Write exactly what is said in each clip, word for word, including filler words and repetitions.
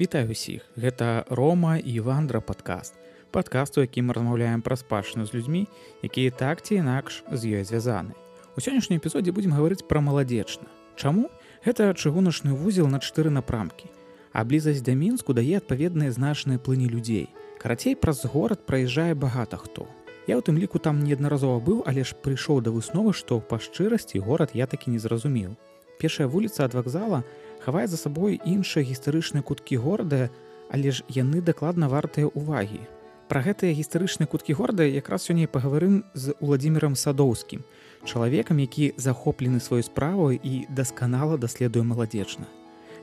Вітаю ўсіх, гэта Рома і Вандра падкаст. Падкаст, у якім мы размаўляем пра спадчыну з людзьмі, якія так ці інакш з ёй звязаны. У сённяшнім эпізодзе будзем гаварыць пра Маладзечна. Чаму? Гэта чыгуначны вузел на чатыры напрамкі. А блізасць да Мінску дае адпаведныя значныя плыні людзей. Карацей, праз горад праязджае багата хто. Я ў тым ліку там неаднаразова быў, але ж прыйшоў да высновы, што па шчырасці горад я такі не зразумеў. Першая вуліца ад вакзала хавае за сабой іншыя гістарычныя куткі горада, але ж яны дакладна вартыя ўвагі. Пра гэтыя гістарычныя куткі горада якраз сёння пагаварым з Уладзімірам Садоўскім, чалавекам, які захоплены сваёй справай і дасканала даследуе Маладзечна.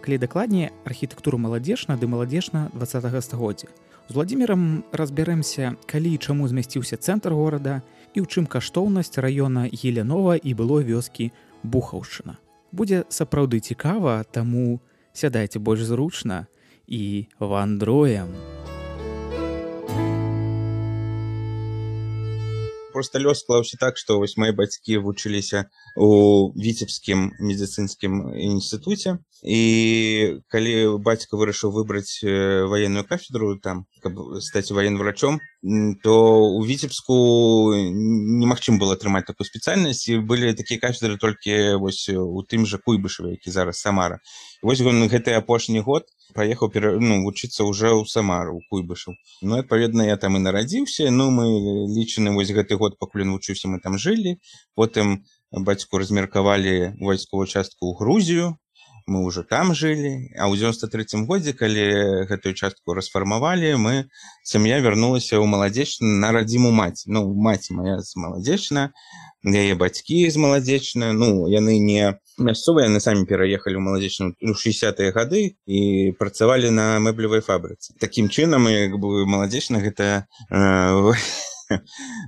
Калі дакладней, архітэктуру Маладзечна ды Маладзечна дваццатага стагоддзя. З Уладзімірам разбяремся, калі і чаму змясціўся цэнтр горада і ў чым каштоўнасць раёна Елянова і былой вёскі Бухаўшчына. Будзе сапраўды цікава, таму сядайце больш зручна і вандруем. Просто лёс склаўся так, што вось мае бацькі вучыліся у Віцебскім медыцынскім інстытуце, і калі бацька вырашыў выбраць ваенную кафедру там, каб стаць военврачом, то у Віцебску немагчыма было атрымаць такую спецыяльнасць, і былі такія кафедры толькі вось у тым жа Куйбышаве, які зараз Самара. І вось ён гэты апошні год паехаў ну, вучыцца ўжо ў Самару, у Куйбышаў. Ну, адпаведна, я там і нарадзіўся, ну, мы лічаны вось гэты год, пакуль ён вучыўся, мы там жылі, потым бацьку размеркавалі вайсковую частку ў Грузію, мы ўжо там жылі, а ў дзевяносто трэцім годзе, калі гэтую частку расфармавалі, мы, сям'я вярнулася ў Маладзечна на радзіму маці. Ну, маці моя з Маладзечна, яе бацькі з Маладзечна, ну, яны не мясцовыя, яны самі пераехалі ў Маладзечну ў шэсцідзятыя гады і працавалі на мэблевай фабрыцы. Такім чынам, як бы Маладзечна гэта э,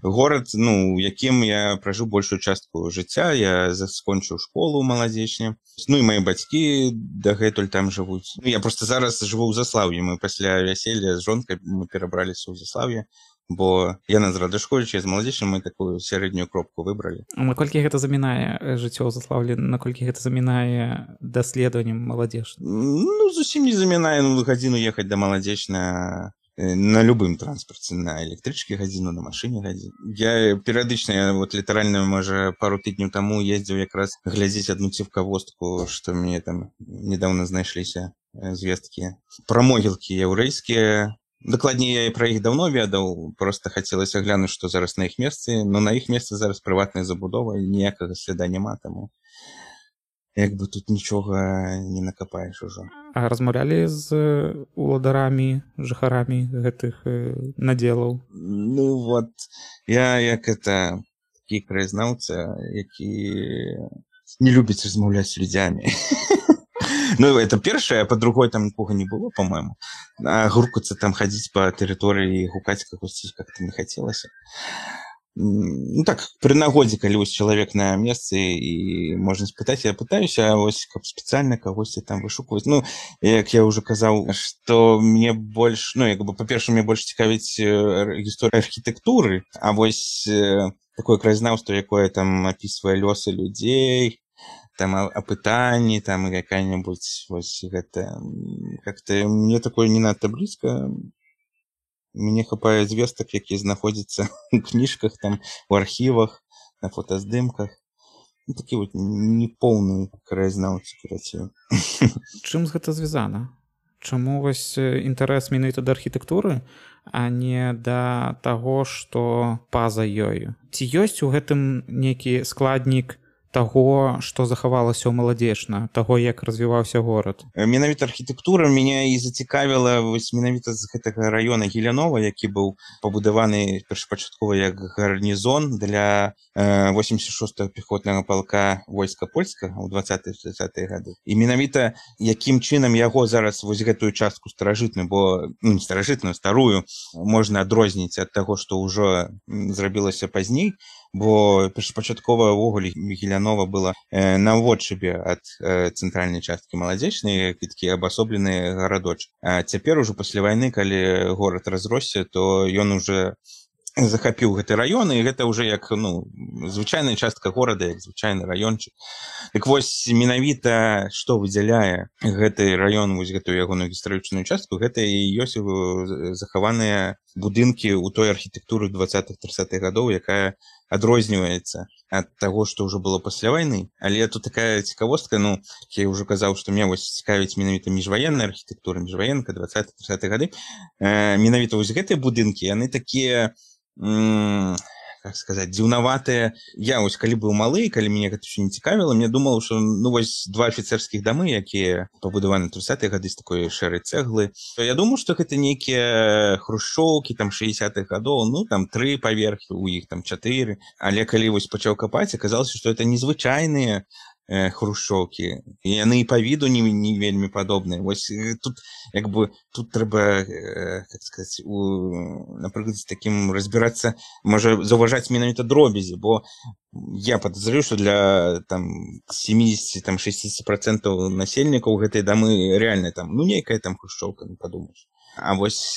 горад, ну, якім я пражыў большую частку жыцця. Я скончыў школу ў Маладзечне. Ну і мае бацькі дагэтуль там жывуць. Ну, я просто зараз жыву ў Заслаўі. Мы пасля вяселля з жонкай мы перабраліся ў Заслаўе, бо яна з Радышковіча, з Маладзечна мы такую сярэднюю кропку выбралі. Наколькі гэта замінае жыццё ў Заслаўлі, наколькі гэта замінае даследаваннем Маладзечна? Ну, зусім не замінае. Ну, гадзіну ехаць да Маладзечна на любым транспарце, на электрычке гадзіну, на машыне гадзіну. Я перыядычна, я вот літаральна, можа, пару тыдняў таму ездзіў якраз глядзець адну цівкавостку, што мне там недавно знайшліся звесткі пра могілкі яўрэйскія. Дакладней, я і пра іх даўно ведаў, проста хацелася глянуць, што зараз на іх месцы, но на іх месцы зараз прыватная забудова, і ніякага сляда няма, таму як бы тут нічога не накапаеш ужо. А размаўлялі з уладарамі, жыхарамі гэтых надзелаў? Ну вот, я як это такі краязнаўца, які не любіць размаўляць з людзямі. Ну, это першае, а па-другой там нікога не было, по-моему. А гуркацца там хадзіць па тэрыторыі і гукаць кагосьці как-то не хацелася. Ну так, пры нагодзе, калі вось чалавек на месцы і можна спытаць, я пытаюся, а вось каб спецыяльна кагосьці там вышукваць. Ну, як я ўжо казаў, што мне больш, ну, як бы, па-першае, мне больш цікавіць гісторыя архітэктуры, а вось такое краязнаўства, якое там апісвае лёсы людзей, там апытанні, там якая-небудзь вось гэта, как-то мне такое не надта блізка. Мне хапае звестак, якія знаходзяцца ў кніжках, там, у архівах, на фотаздымках. Ну, такі вот непоўны краязнаўцы, карацей. Чым з гэта звязана? Чаму вось інтарэс менавіта да архітэктуры, а не да таго, што па-за ёю? Ці ёсць у гэтым нейкі складнік таго, што захавалася ў Маладзечна, таго, як развіваўся горад? Менавіта архітэктура мяне і зацікавіла вось менавіта з гэтага раёна Елянова, які быў пабудаваны першапачаткова як гарнізон для восемьдесят шостага пехотнага палка войска польскага ў дваццатыя гады. І менавіта якім чынам яго зараз вось гэтую частку старажытную, бо ну, не старажытную, старую, можна адрозніць ад таго, што ўжо зрабілася пазней, бо першапачаткова ўвогуле Елянова была э, наводшыбе ад э, цэнтральнай часткі Маладзечнай, такі абасоблены гарадочак. А цяпер ужо пасля вайны, калі горад разросся, то ён уже захапіў гэты раён, і гэта ўжо як ну звычайная частка горада, як звычайны раёнчык. Так вось менавіта што выдзяляе гэты раён, вось гэтую ягоную гістарычную частку, гэта і ёсць захаваныя будынкі ў той архітэктуры двадцатых-трыццатых гадоў, якая адрозніваецца ад таго, што ўжо было пасля вайны. Але тут такая цікавостка, ну я ўжо казаў, што мне вось цікавіць менавіта міжваенная архітэктура, міжваенка двадцатых-трыццатых гады. Э, менавіта вось гэтыя будынкі, яны такія как сказать, дзіўнаватыя. Я вось калі быў малы, калі мяне гэта ўсё не цікавіла, мне думаў, што ну вось два афіцэрскіх дамы, якія пабудаваны трыццатыя гады з такой шэрай цэглы, то я думаю, што гэта нейкія хрушчоўкі там шэсцятых гадоў, ну там тры паверхі, у іх там чатыры. Але калі вось пачаў капаць, аказалася, што это незвычайныя хрушчоўкі, і яны і па віду не, не вельмі падобныя. Вось тут як бы тут трэба как сказать, у, напрыклад, з такім разбірацца, можа заўважаць менавіта дробязі, бо я падазраю, што для там семьдесят шестьдесят процентов насельнікаў гэтай дамы реально там ну нейкая там хрушчоўка, не падумаеш. А вось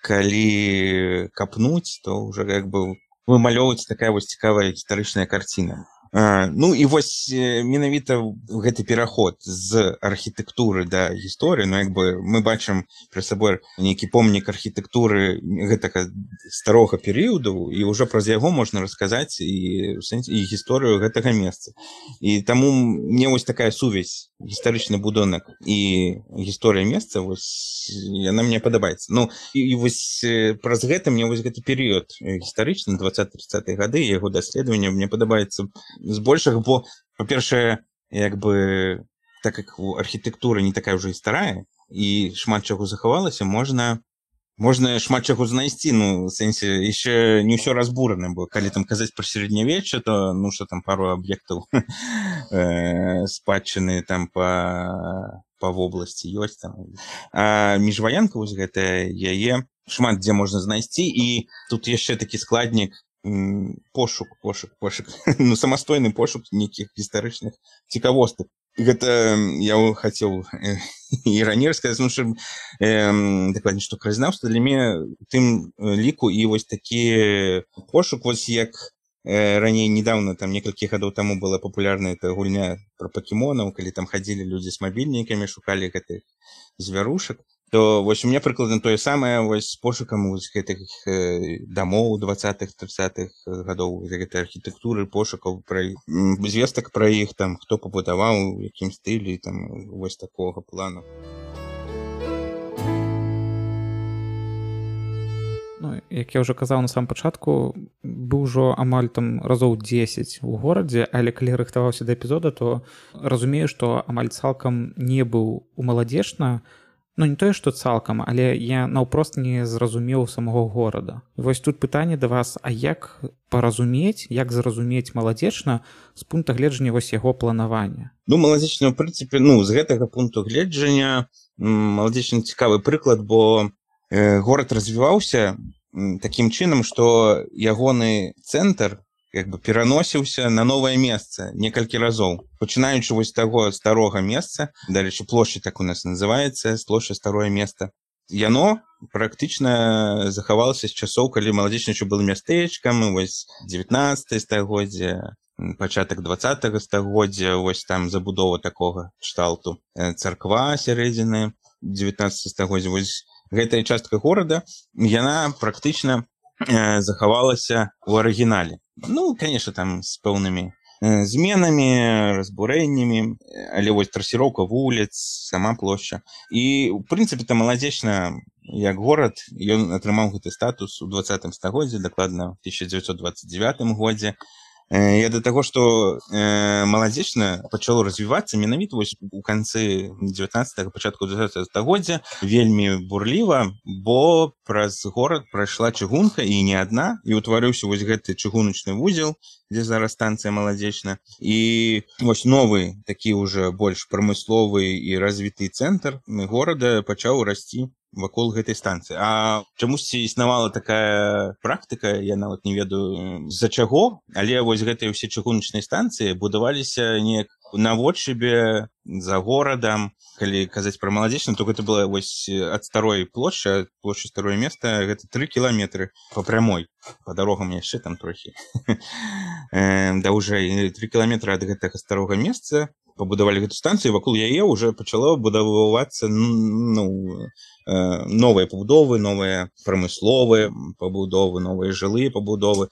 калі капнуць, то ўжо як бы вымалёўваецца такая вось цікавая гістарычная карціна. А, ну і вось менавіта гэты пераход з архітэктуры да гісторыі, ну як бы мы бачым пры сабой нейкі помнік архітэктуры гэтага старога перыяду, і ўжо праз яго можна расказаць і, і гісторыю гэтага месца. І таму мне вось такая сувязь гістарычны будынак і гісторыя месца, вось яна мне падабаецца. Ну і, і вось праз гэта мне вось гэты перыяд гістарычны двадцатых-трыццатых гады, яго даследаванне мне падабаецца збольшага, бо па-першае як бы так як архітэктура не такая ўжо і старая і шмат чаго захавалася, можна можна шмат чаго знайсці, ну в сэнсе яшчэ не ўсё разбурана, бо калі там казаць пра сярэднявечча, то ну што там пару аб'ектаў спадчыны там па па вобласці ёсць там. А міжваенка вось гэтая, яе шмат дзе можна знайсці, і тут яшчэ такі складнік пошук, пошук, пошук, ну, самастойны пошук нейкіх гістарычных цікавостак. Гэта я хацеў і раней сказаць, ну, што дакладней, што краязнаўства для мяне тым ліку і вось такі пошук, вось як раней недавно, там некалькі гадоў таму была папулярная эта гульня пра пакемонаў, калі там хадзілі людзі з мабільнікамі, шукалі гэтых звярушак. То вось у меня прыкладна тое самае вось з пошукам вось гэтых э, дамоў двадцатых-трыццатых гадоў, гэтай архітэктуры, пошукаў пра звестак пра іх, там хто пабудаваў, у якім стылі, там вось такога плану. Ну, як я ўжо казаў на самом пачатку, быў ужо амаль там разоў дзесяць у горадзе, але калі рыхтаваўся да эпізода, то разумею, што амаль цалкам не быў у Маладзечна. Ну, не тое, што цалкам, але я наўпрост не зразумеў самого горада. І вось тут пытанне да вас, а як паразумець, як зразумець Маладзечна з пункта гледжання вось яго планавання? Ну, Маладзечна, ў прынцыпе, ну, з гэтага пункту гледжання Маладзечна цікавы прыклад, бо э, горад развіваўся такім чынам, што ягоны цэнтр як бы пераносіўся на новае месца некалькі разоў. Пачынаючы вось таго старога месца, дарэчы, плошча так у нас называецца, плошча старое месца. Яно практычна захавалася з часоў, калі Маладзечна яшчэ было мястэчкам, вось дзевятнаццатае стагоддзя, пачатак двадцатага стагоддзя, вось там забудова такога кшталту. Царква сярэдзіны дзевятнаццатага стагоддзя. Вось гэтая частка горада, яна практычна э, захавалася ў арыгінале. Ну, конечно, там з пэўнымі э, зменамі, разбурэннямі, але вось трасіроўка вуліц, сама плошча. І, ў прынцыпе, там Маладзечна, як горад, ён атрымаў гэты статус у двадцатым стагоддзі, дакладна ў тысяча дзевяцьсот дваццаць дзевятым годзе. Э, я да таго, што э, Маладзечна пачало развівацца менавіта вось у канцы дзевятнаццатага, пачатку двадцатага стагоддзя вельмі бурліва, бо праз горад прайшла чыгунка, і не адна, і ўтварыўся вось гэты чыгуначны вузел, дзе зараз станцыя Маладзечна. І вось новы, такі ўжо больш прамысловы і развіты цэнтр горада пачаў расці вакол гэтай станцыі. А чамусьці існавала такая практыка, я нават не ведаю з-за чаго, але вось гэтыя ўсе чыгуначныя станцыі будаваліся неяк наводшыбе за горадам. Калі казаць пра Маладзечную, то гэта было вось ад старой плошчы, ад плошчы старое места, гэта тры кіламетры па прямой, па дарогам яшчэ там трохі даўжэй. Тры кіламетры ад гэтага старога месца пабудавалі гэту станцыю, вакол яе ўжо пачало будавацца ну, новыя пабудовы, новыя прамысловыя пабудовы, новыя жылыя пабудовы.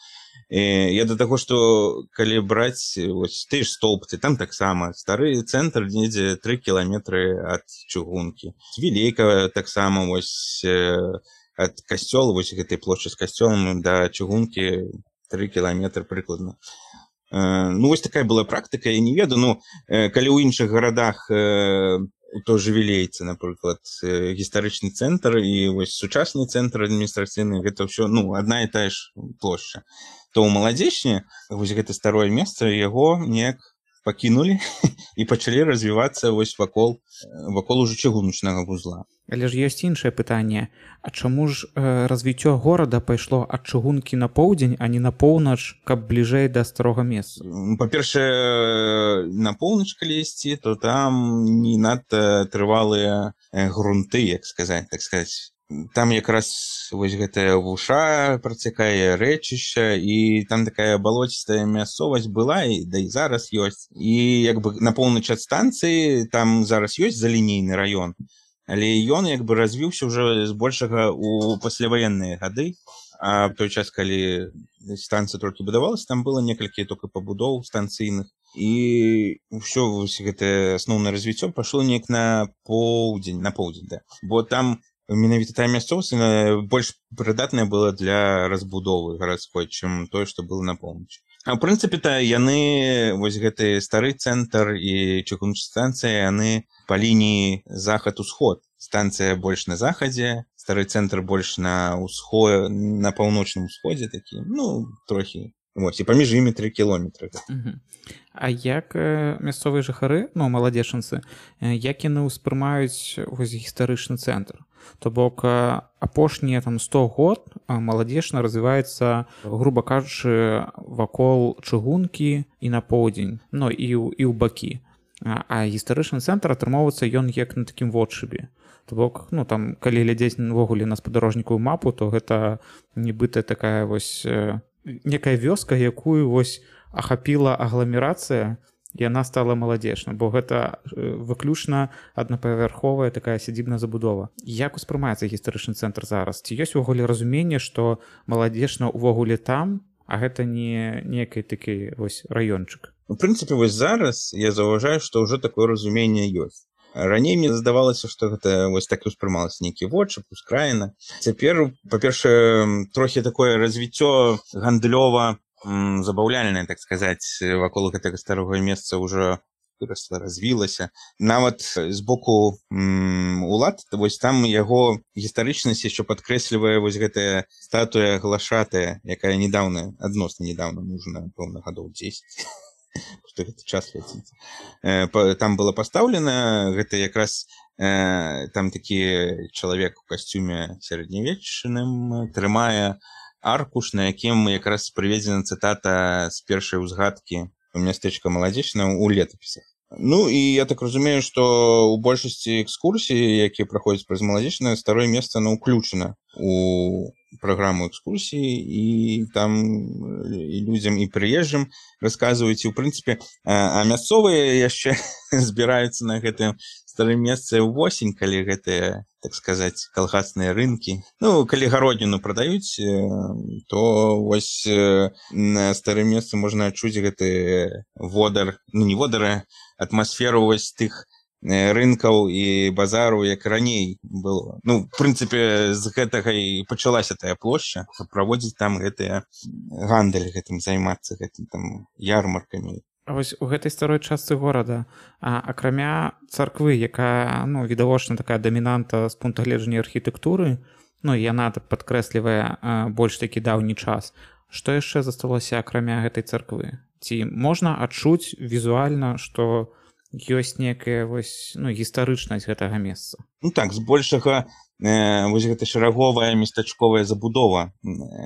І я да таго, што калі браць вось ты ж столбцы, там таксама стары цэнтр недзе тры кіламетры ад чыгункі. Вілейка таксама вось ад касцёла, вось гэтай плошчы з касцёлам да чыгункі тры кіламетры прыкладна. Ну, вось такая была практыка, я не ведаю, ну, калі ў іншых гарадах у той же Вілейцы, напрыклад, гістарычны цэнтр і вось сучасны цэнтр адміністрацыйны, гэта ўсё, ну, адна і тая ж плошча, то ў Маладзечні вось гэта старое месца, яго неяк пакінулі і пачалі развівацца вось вакол, вакол ужо чыгуначнага вузла. Але ж ёсць іншае пытанне. А чаму ж э, развіццё горада пайшло ад чыгункі на поўдзень, а не на поўнач, каб бліжэй да старога месца? Па-першае, на поўнач калі ісці, то там не надта трывалыя грунты, як сказаць, так сказаць. Там якраз вось гэтая вуша працякае рэчышча, і там такая балоцістая мясцовасць была, і да і зараз ёсць. І як бы на поўнач ад станцыі там зараз ёсць залінейны раён, але ён як бы развіўся ўжо збольшага ў пасляваенныя гады, а в той час, калі станцыя толькі будавалася, там было некалькі толькі пабудоў станцыйных, і ўсё вось гэтае асноўнае развіццё пайшло неяк на поўдзень, на поўдзень, да. Бо там менавіта тая мясцовасць больш прыдатная была для разбудовы гарадской, чым тое, што было на поўначы. А ў прынцыпе-то яны, вось гэты стары цэнтр і чыгуначная станцыя, яны па лініі захад-усход. Станцыя больш на захадзе, стары цэнтр больш на ўсход, на паўночным усходзе такі, ну, трохі. Вось, і паміж імі тры кіламетры. Uh-huh. А як э, мясцовыя жыхары, ну, маладзечанцы, э, як яны ўспрымаюць вось гістарычны цэнтр? То бок э, апошнія там сто год э, Маладзечна развіваецца, груба кажучы, вакол чыгункі і на поўдзень, ну, і, і ў бакі. А, а гістарычны цэнтр атрымоўваецца ён як на такім водшыбе. То бок, ну, там, калі глядзець увогуле на спадарожнікавую мапу, то гэта нібыта такая вось э, некая вёска, якую вось ахапіла агламерацыя, і яна стала Маладзечна, бо гэта выключна аднапавярховая такая сядзібная забудова. Як успрымаецца гістарычны цэнтр зараз? Ці ёсць увогуле разуменне, што Маладзечна ўвогуле там, а гэта не некий такі вось раёнчык? У прынцыпе, вось зараз я заўважаю, што ўжо такое разуменне ёсць. Раней мне здавалася, што гэта вось так успрымалася нейкі водшып, ускраіна. Цяпер, па-першае, трохі такое развіццё гандлёва забаўляльнае, так сказаць, вакол гэтага старога месца ўжо вырасла, развілася. Нават з боку улад, вось там яго гістарычнасць яшчэ падкрэслівае вось гэтая статуя глашатая, якая недаўна, адносна недаўна, можна, пэўна, гадоў дзесяць. Што гэты час ляціць. Там была пастаўлена, гэта якраз там такі чалавек у касцюме сярэднявечным трымае аркуш, на якім якраз прыведзена цытата з першай узгадкі мястэчка Маладзечна ў летапісах. Ну і я так разумею, што ў большасці экскурсій, якія праходзяць праз Маладзечна, старое месца оно ўключана у праграму экскурсій, і там і людзям, і прыезджым расказваюць, і ў прынцыпе, а мясцовыя яшчэ збіраюцца на гэтым старым месцы ўвосень, калі гэтыя, так сказаць, калгасныя рынкі. Ну, калі гародніну прадаюць, то вось на старым месцы можна адчуць гэты водар, ну не водары, атмасферу вось тых рынкаў і базару, як раней было. Ну, в прынцыпе, з гэтага і пачалася тая плошча, каб праводзіць там гэтыя гандаль, гэтым займацца, гэтым там ярмаркамі. А вось у гэтай старой частцы горада, а, акрамя царквы, якая, ну, відавочна такая дамінанта з пункта гледжання архітэктуры, ну, і яна падкрэслівае а, больш такі даўні час, што яшчэ засталося акрамя гэтай царквы? Ці можна адчуць візуальна, што ёсць некая вось ну гістарычнасць гэтага месца. Ну так, збольшага э, вось гэта шараговая местачковая забудова,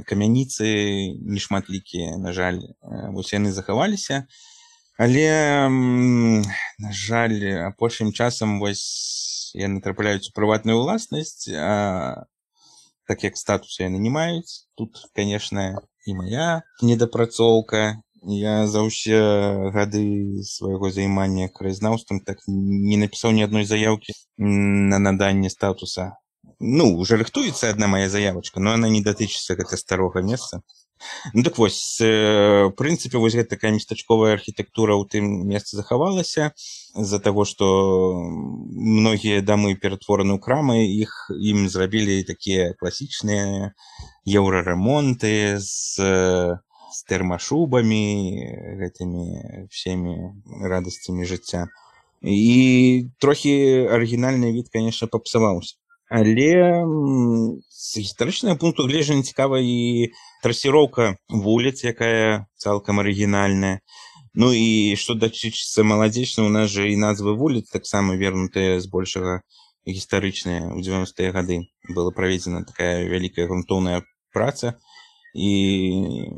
камяніцы нешматлікія, на жаль, вось яны захаваліся, але на жаль, апошнім часам вось яны трапляюць у прыватную ўласнасць, а так як статус яны не маюць. Тут, конечно, і моя недапрацоўка. Я за ўсе гады свайго займання краязнаўствам так не напісаў ні адной заяўкі на наданне статуса. Ну, уже рыхтуецца адна моя заявачка, но она не датычыцца гэта старога месца. Ну так вось, в прынцыпе, вось гэта такая местачковая архітэктура ў тым месцы захавалася з-за таго, што многія дамы ператвораны ў крамы, іх ім зрабілі такія класічныя еўрарамонты з з тэрмашубамі, гэтымі всеми радасцямі жыцця. І трохі арыгінальны від, конечно, папсаваўся. Але з гістарычнага пункту гледжання цікава і трасіроўка вуліц, якая цалкам арыгінальная. Ну і што датычыцца маладзечна, у нас жа і назвы вуліц таксама вернутыя збольшага гістарычныя. У дзевяностыя гады была праведзена такая вялікая грунтоўная праца, і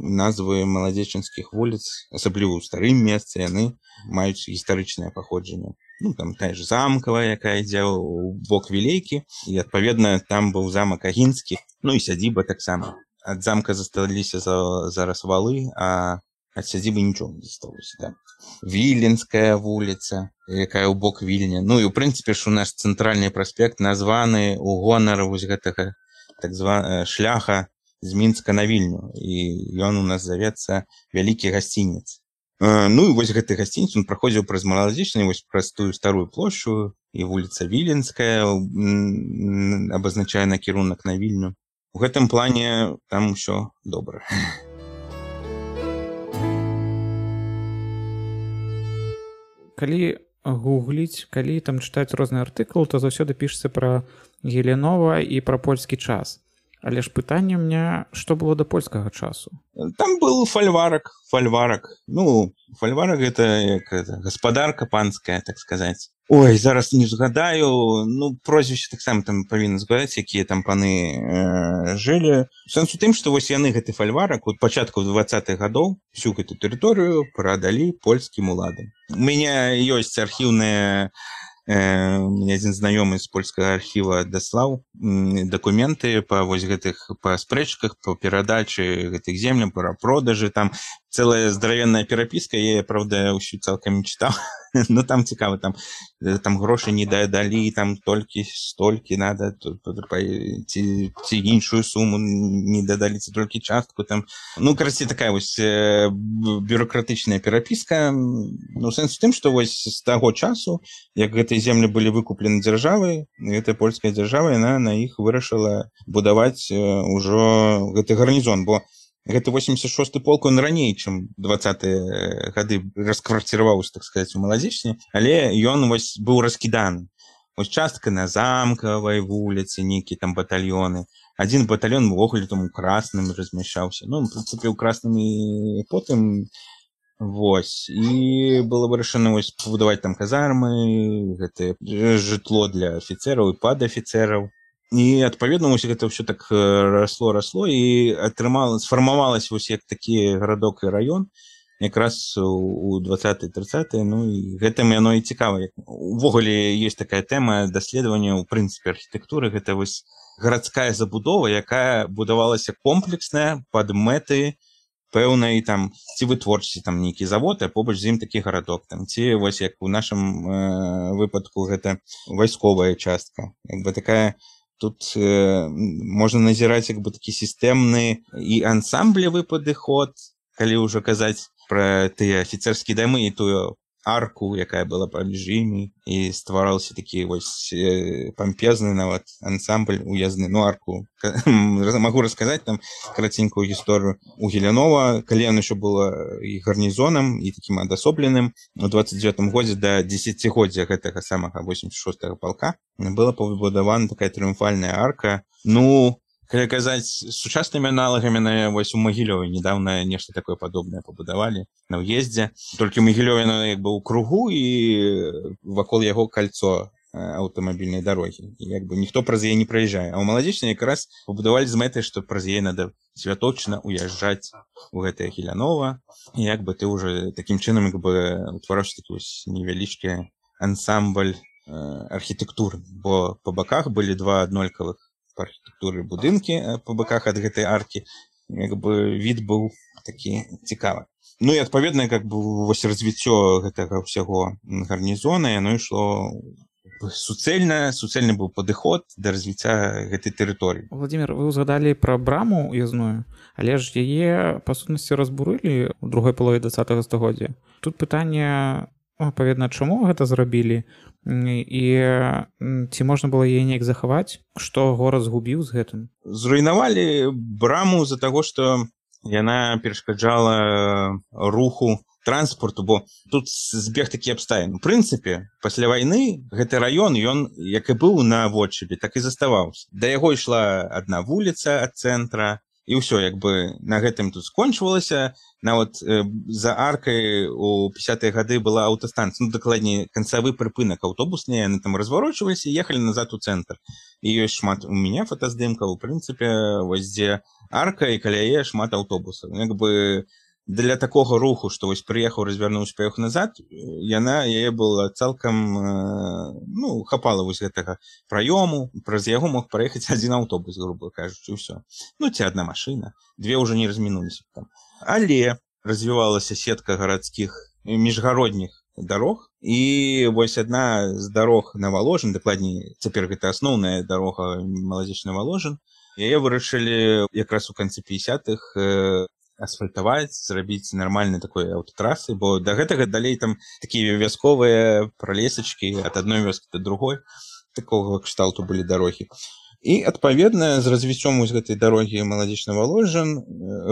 назвы маладзечанскіх вуліц, асабліва ў старым месцы, яны маюць гістарычнае паходжанне. Ну, там тая ж замкавая, якая ідзе ў бок Вілейкі, і, адпаведна, там быў замак Агінскі, ну і сядзіба таксама. Ад замка засталіся за, зараз валы, а ад сядзібы нічого не засталося. Да. Віленская вуліца, якая ў бок Вільня. Ну і, ў прынцыпе, ж у наш цэнтральны праспект названы ў гонар вось гэтага так званага шляха з Мінска на Вільню, і ён у нас завецца вялікі гасцінец. Ну і вось гэты гасцінец, он праходзіў праз маладзечную, вось праз тую старую плошчу, і вуліца Віленская абазначае накірунак на Вільню. У гэтым плане там усё добра. Калі гугліць, калі там чытаць розны артыкул, то заўсёды пішацца пра Геленова і пра польскі час. Але ж пытанне ў меня, што было да польскага часу? Там был фальварак, фальварак. Ну, фальварак — это, як, это гаспадарка панская, так сказаць. Ой, зараз не згадаю, ну, прозвішча таксама там павінна згадаць, якія там паны э, жылі. Сэнс у тым, што вось яны гэты фальварак от пачатку двадцатых гадоў всю гэту тэрыторыю прадалі польскім уладам. У мяне ёсць архіўная Э, у меня один знаёмы з польскага архіва даслаў дакументы па вось гэтых па спрэчках, па перадачы гэтых земляў, пра продажы, там цэлая здаравенная перапіска, я, правда, ўсю цалкам не чытаў, но там цікава, там там грошы не дадалі, там толькі столькі надо, ці, ці іншую суму не дадалі, ці толькі частку там. Ну, карацей, такая вось бюрократычная перапіска. Ну, сэнс у тым, што вось з таго часу, як гэтыя землі былі выкуплены дзяржавай, гэтая польская дзяржава, яна на іх вырашыла будаваць ужо гэты гарнізон, бо гэты восемьдесят шосты полк, он раней, чым двадцатыя гады расквартироваўся, так сказаць, у маладзечні, але ён вось быў раскіданы. Вось частка на замкавай вуліцы, нейкія там батальёны. Адзін батальён увогуле там у красным размяшчаўся. Ну, в прынцыпе, у красным і потым вось. І было вырашана вось пабудаваць там казармы, гэтае жытло для афіцэраў і падафіцэраў. І, адпаведна, вось гэта ўсё так расло, расло, і атрымала, сфармавалася вось як такі гарадок і раён, якраз у двадцатыя трыццатыя, ну, і гэтым яно і цікава. Увогуле, ёсць такая тэма даследавання, у прынцыпе, архітэктуры, гэта вось гарадская забудова, якая будавалася комплексная пад мэты пэўнай там, ці вытворчасці, там нейкі завод, а побач з ім такі гарадок, там, ці вось як у нашым э, выпадку гэта вайсковая частка, як бы такая. Тут э, можна назіраць як бы такі сістэмны і ансамблевы падыход, калі ўжо казаць пра тыя афіцэрскія дамы і тую арку, якая была паміж імі, і ствараўся такі вось э, пампезны нават ансамбль уязны, ну арку. Магу расказаць там караценькую гісторыю. У Геленова, калі яно еще было і гарнізонам, і такім адасобленым, у двадцать девятым годзе да дзесяцігоддзя гэтага самага восемьдесят шостага палка была пабудавана такая трыумфальная арка. Ну, Калі казаць сучаснымі аналагамі, на вось у Магілёве недавно нешта такое падобнае пабудавалі на ўездзе. Толькі Магілёве як бы ў кругу і вакол яго кольцо аўтамабільнай дарогі. Як бы ніхто праз яе не праязджае. А ў Маладзечнай якраз пабудавалі з мэтай, што праз яе надо святочна уязджаць у гэтае Гілянова. І як бы ты ўжо такім чынам як бы утвараўся такі вось невялічкі ансамбль архітэктуры, бо па баках былі два аднолькавых па архітэктуры будынкі па баках ад гэтай аркі, як бы від быў такі цікавы. Ну і адпаведна, як бы вось развіццё гэтага ўсяго гарнізона, яно ішло суцэльна, суцэльны быў падыход да развіцця гэтай тэрыторыі. Владимир, вы узгадалі пра браму уязную, але ж яе па сутнасці разбурылі ў другой палове двадцатага стагоддзя. Тут пытанне, адпаведна, чаму гэта зрабілі? І ці можна было яе неяк захаваць, што горад згубіў з гэтым? Зруйнавалі браму з-за таго, што яна перашкаджала руху транспорту, бо тут збег такі абставін. У прынцыпе, пасля вайны гэты раён, ён як і быў на водшыбе, так і заставаўся. Да яго ішла адна вуліца ад цэнтра, і ўсё, як бы на гэтым тут скончвалася. Нават э, за аркай у пятидесятые гады была аўтастанцыя, ну, дакладней, канцавы прыпынак аўтобусны, яны там разварочваліся і ехалі назад у цэнтр. І ёсць шмат у мяне фотаздымкаў, у прынцыпе, вось дзе арка і каля яе шмат аўтобусаў. Як бы для такога руху, што вось прыехаў, развярнуўся, паехаў назад, яна, яе была цалкам, ну, хапала вось гэтага праёму, праз яго мог праехаць адзін аўтобус, грубо кажучы, ўсё. Ну, ці адна машына, две ўжо не размінуліся там. Але развівалася сетка гарадскіх міжгародніх дарог, і вось адна з дарог на Валожын, дакладней, цяпер гэта асноўная дарога Маладзечны-Валожын, яе вырашылі якраз у канцы пятидесятых асфальтаваць, зрабіць нармальнай такой аўтатрасы, бо да гэтага далей там такія вясковыя пралесачкі ад адной вёскі да другой, такога кшталту былі дарогі. І, адпаведна, з развіццём вось гэтай дарогі Маладзечны-Валожын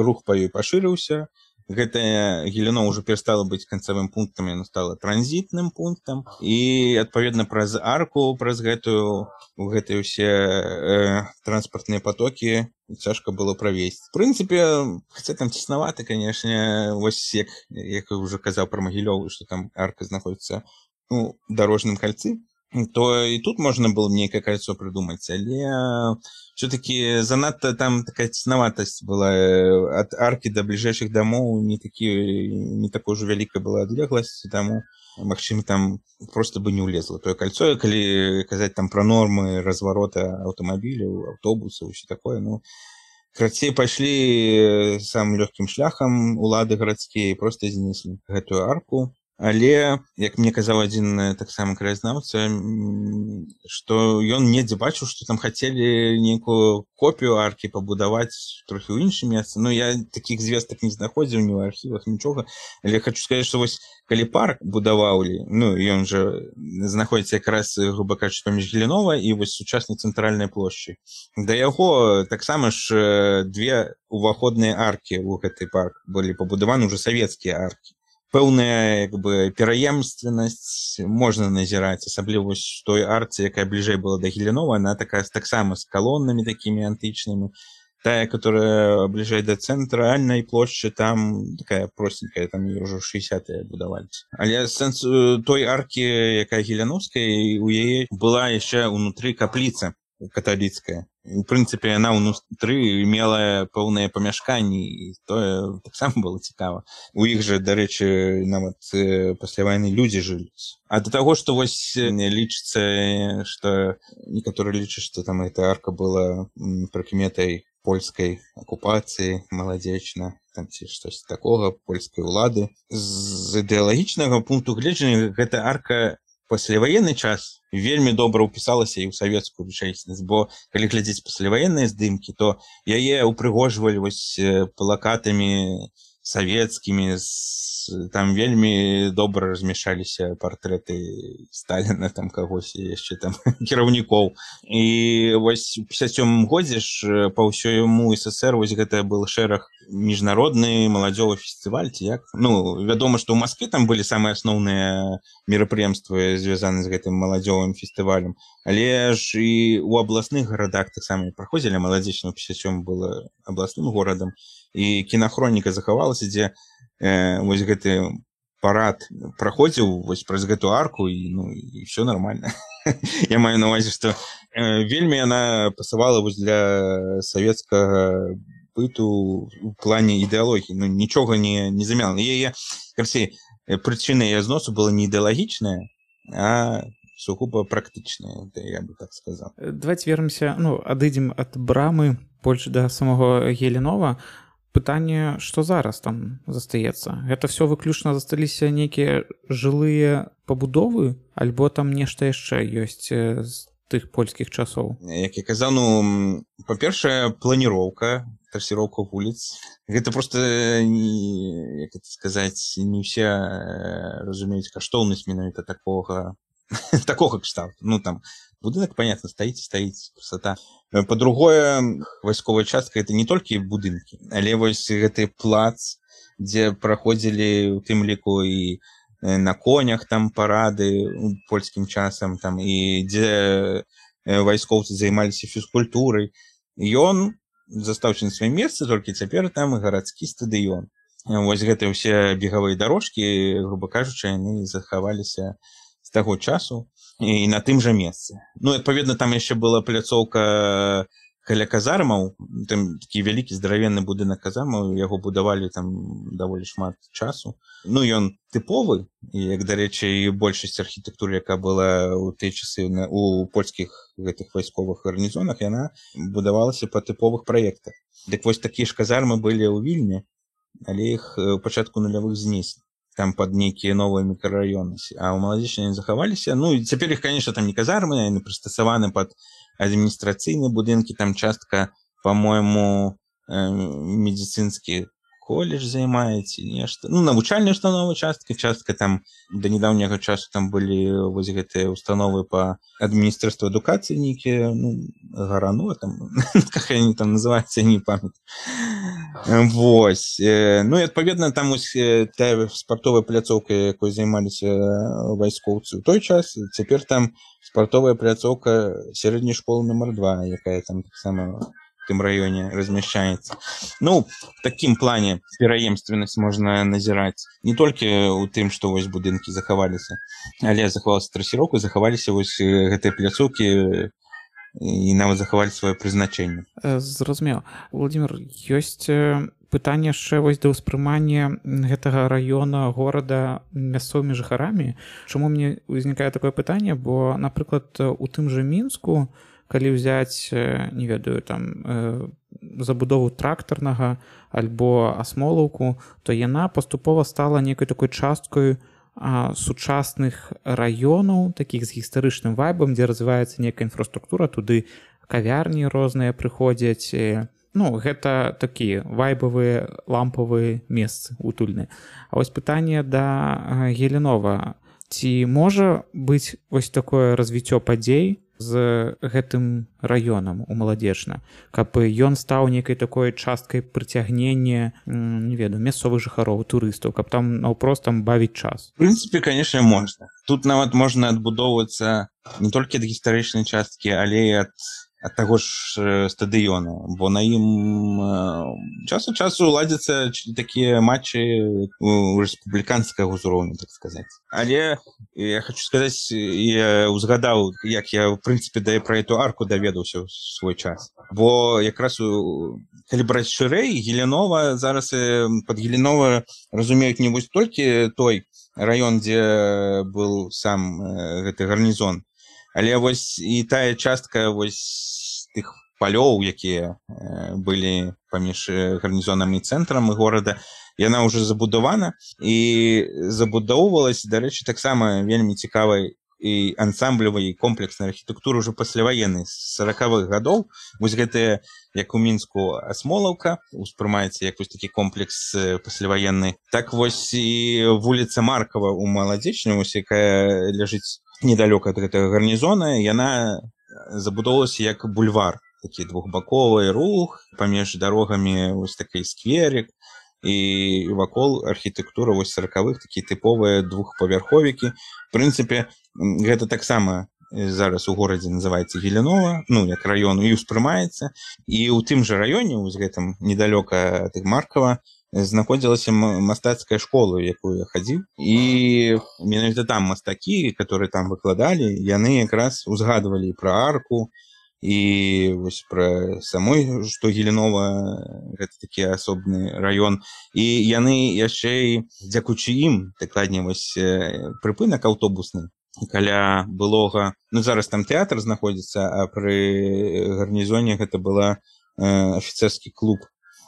рух па ёй пашырыўся. Гэтае Гіліно ўжо перастала быць канцавым пунктам, яно стала транзітным пунктам. І, адпаведна, праз арку, праз гэтую, у гэтыя ўсе э, транспартныя патокі цяжка было правесці. В прынцыпе, хаця там цеснаваты, канешне, вось як, як я ўжо казаў пра Магілёў, што там арка знаходзіцца у дарожным кальцы, то і тут можна было нейкае кольцо прыдумаць, але все-таки занадта там такая цеснаватасць была ад аркі да бліжэйшых дамоў, не такі, не такой уже вялікая была адлегласць, таму, магчыма, там просто бы не ўлезла тое кольцо, калі казаць там пра нормы разварота аўтамабіляў, аўтобусаў, усё такое, ну, крацей пайшлі самым лёгкім шляхам улады гарадскія, просто знеслі гэтую арку. Але, як мне казаў адзін таксама краязнаўца, што ён недзе бачыў, што там хацелі нейкую копію аркі пабудаваць трохі ў іншым месцы. Ну, я такіх звестак не знаходзіў ні ў архівах, нічога. Але хочу сказаць, што вось калі парк будаваўлі, ну, ён жа знаходзіцца якраз, груба кажучы, паміж Гілінова і вось сучаснай цэнтральнай плошчы. Да яго таксама ж две уваходныя аркі ў гэты парк былі пабудаваны ўжо савецкія аркі. Пэўная, як бы, пераемственнасць можна назіраць, асабліва вось той арцы, якая бліжэй была да Гілінова, она такая таксама з калоннамі такімі антычнымі. Тая, которая бліжэй да цэнтральнай плошчы, там такая простенькая, там ўжо шэсцідзесятыя будаваліся. Але сэнс той аркі, якая гіляновская, у яе была яшчэ ўнутры капліца каталіцкая. У прынцыпе, яна ўнутры мела пэўныя памяшканні, і тое таксама было цікава. У іх жа, дарэчы, нават пасля вайны людзі жылі. А да таго, што вось лічыцца, што некаторыя лічаць, што там эта арка была прыкметай польскай акупацыі, Маладзечна, там ці штось такога, польскай улады. З ідэалагічнага пункту гледжання гэта арка пасляваенны час вельмі добра ўпісалася і ў савецкую рэчаіснасць, бо калі глядзець пасляваенныя здымкі, то яе упрыгожвалі вось плакатамі савецкімі, там вельмі добра размяшаліся партрэты Сталіна, там кагось яшчэ там кіраўнікоў. І вось у пятьдесят сёмым годзе ж па ўсёму СССР вось гэта был шэраг міжнародны маладзёвы фестываль, ці як. Ну, вядома, што ў Маскве там былі самыя асноўныя мерапрыемствы, звязаны з гэтым маладзёвым фестывалем. Але ж і ў абласных гарадах таксама праходзілі. Маладзечна пятьдесят сём было абласным горадам, і кінахроніка захавалася, дзе э, вось гэты парад праходзіў вось праз гэту арку, і ну і все нормально. Я маю на увазе, што э, вельмі яна пасавала вось для савецкага быту у плане ідэалогіі. Ну нічога не не замяла. Яе карцей прычына яе зносу была не ідэалагічная, а сугубо практычная, я бы так сказал. Давайте вернемся, ну адыдзем ад брамы больш да самого Геленова. Пытанне, што зараз там застаецца? Гэта все выключна засталіся нейкія жылыя пабудовы, альбо там нешта яшчэ ёсць з тых польскіх часоў? Як я казаў, ну, па-першае, планіроўка, трасіроўка вуліц. Гэта проста, не, як это сказаць, не ўсе разумеюць каштоўнасць менавіта такога такога кшталту. Ну, там, будынак, понятно, стаіць, стаіць, красота. Па-другое, вайсковая частка — это не толькі будынкі, але вось гэты плац, дзе праходзілі, у тым ліку, і на конях там парады польскім часам, там, і дзе вайскоўцы займаліся фізкультурай. Ён застаўся на сваім месцы, толькі цяпер там гарадскі стадыён. Вось гэтыя ўсе бегавыя дарожкі, груба кажучы, яны захаваліся з таго часу і на тым жа месцы. Ну, адпаведна, там яшчэ была пляцоўка каля казармаў, там такі вялікі здаравенны будынак казармаў, яго будавалі там даволі шмат часу. Ну, ён тыповы, як, дарэчы, і большасць архітэктуры, якая была ў тыя часы у польскіх гэтых вайсковых гарнізонах, яна будавалася па тыповых праектах. Дык вось такія ж казармы былі ў Вільні, але іх у пачатку нулявых знеслі. Там под нейкія новыя мікрараёны, а ў Маладзечне яны захаваліся. Ну, і цяпер іх, конечно, там не казармы, яны прыстасаваны пад адміністрацыйныя будынкі, там частка, по-моему, э, медыцынскі колледж займаецца, нешта. Ну, навучальная установа частка, частка там да нядаўняга часу там былі вось гэтыя установы па адміністратству адукацыі нейкія, ну, гарано там, как они там называюцца, я не памятаю. Вось. Ну і адпаведна там ось тая спартовая пляцоўка, якой займаліся вайскоўцы ў той час, цяпер там спартовая пляцоўка сярэдняй школы нумар два, якая там таксама в тым раёне размяшчаецца. Ну, в такім плане пераемственнасць можна назіраць не толькі ў тым, што вось будынкі захаваліся, але захавалася трасіроўка, захаваліся вось гэтыя пляцоўкі і нават захавалі сваё прызначэнне. Зразумела. Владимир, ёсць пытанне яшчэ вось да ўспрымання гэтага раёна, горада мясцовымі жыхарамі. Чаму мне ўзнікае такое пытанне? Бо, напрыклад, у тым жа Мінску, калі ўзяць, не ведаю, там забудову трактарнага альбо асмолаўку, то яна паступова стала нейкай такой часткой а, сучасных раёнаў, такіх з гістарычным вайбам, дзе развіваецца нейкая інфраструктура, туды кавярні розныя прыходзяць. Ну, гэта такія вайбавыя лампавыя месцы утульныя. А вось пытанне да Геленова. Ці можа быць вось такое развіццё падзей з гэтым раёнам у Маладзечна, каб ён стаў нейкай такой часткай прыцягнення, не ведаю, мясцовых жыхароў, турыстаў, каб там наўпрост там бавіць час? В прынцыпе, конечно, можна. Тут нават можна адбудоўвацца не толькі ад гістарычнай часткі, але і ад ад таго ж стадыёна, бо на ім час ад часу ладзяцца такія матчы у рэспубліканскага ўзроўню, так сказаць. Але я хочу сказаць, я узгадаў, як я, в прынцыпе, да пра эту арку даведаўся ў свой час. Бо якраз калі браць шырэй, Геленова зараз пад Геленова разумеюць не вось толькі той раён, дзе быў сам гэты гарнізон, але вось і тая частка вось тых палёў, якія былі паміж гарнізонам і цэнтрам горада, яна ўжо забудавана і забудоўвалась, дарэчы, таксама вельмі цікавай і ансамблевай, і комплекснай архітэктуры ўжо пасляваеннай з саракавых гадоў. Вось гэтая, як у Мінску, асмолаўка успрымаецца як вось такі комплекс пасляваенны. Так вось і вуліца Маркава ў Маладзечне, вось якая ляжыць недалёка ад гэтага гарнізона, яна забудоўвалася як бульвар, такі двухбаковы рух, паміж дарогамі вось такі скверик, і вакол архітэктура вось саракавых, такія тыповыя двухпавярховікі. В прынцыпе, гэта таксама зараз у горадзе называецца Геленова, ну як раён, і ўспрымаецца. І ў тым жа раёне, у гэтым недалёка ад Маркава, знаходзілася мастацкая школа, у якую я хадзіў. І менавіта там мастакі, которые там выкладалі, яны якраз узгадвалі пра арку, і вось пра самой, што Геленова гэта такі асобны раён. І яны яшчэ і дзякуючы ім, дакладней вось прыпынак аўтобусны каля былога, ну зараз там тэатр знаходзіцца, а пры гарнізоне гэта была э, афіцэрскі клуб.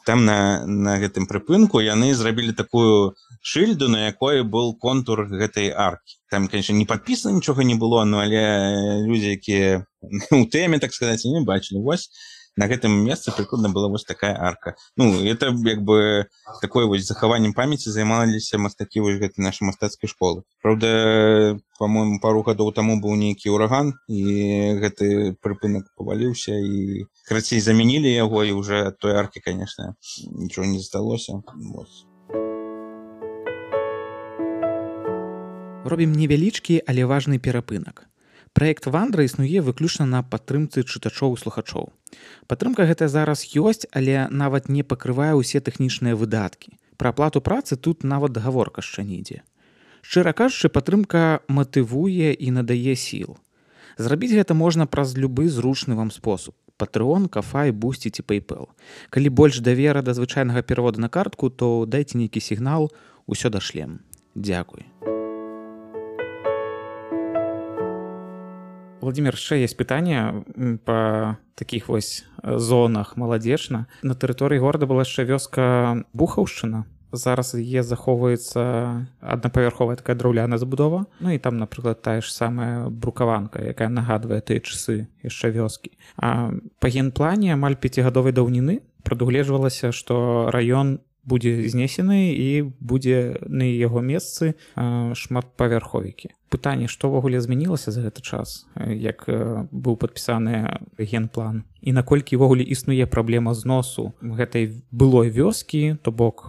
Там на, на гэтым прыпынку яны зрабілі такую шыльду, на якой был контур гэтай аркі. Там, конечно, не падпісана нічога не было, но але людзі, якія у тэме, так сказаць, не бачылі. Вось на гэтым месцы прыкладна была вось такая арка. Ну, это як бы такое вось захаваннем памяці займаліся мастакі вось гэтай нашай мастацкай школы. Праўда, по-моему, пару гадоў таму быў нейкі ураган, і гэты прыпынак паваліўся, і крацей замянілі яго, і уже ад той аркі, конечно, нічого не засталося. Вось. Робім невялічкі, але важны перапынак. Праект «Вандра» існуе выключна на падтрымцы чытачоў і слухачоў. Падтрымка гэтая зараз ёсць, але нават не пакрывае ўсе тэхнічныя выдаткі. Пра аплату працы тут нават гаворка яшчэ не ідзе. Шчыра кажучы, падтрымка матывуе і надае сіл. Зрабіць гэта можна праз любы зручны вам спосаб. Patreon, Ko-fi, Boosty ці PayPal. Калі больш давера да звычайнага пераводу на картку, то дайце нейкі сігнал, усё дашлем. Дзякуй. Владимир, яшчэ есть пытанне па такіх вось зонах маладзечна. На тэрыторыі горада была яшчэ вёска Бухаўшчына. Зараз яе захоўваецца аднапавярховая такая драўляная забудова. Ну і там, напрыклад, тая ж самая брукаванка, якая нагадвае тыя часы яшчэ вёскі. А па генплане амаль пяцігадовай даўніны прадугледжвалася, што раён будзе знесены і будзе на яго месцы шматпавярховікі. Пытанне, што ўвогуле змянілася за гэты час, як быў падпісаны генплан, і наколькі ўвогуле існуе праблема зносу гэтай былой вёскі, то бок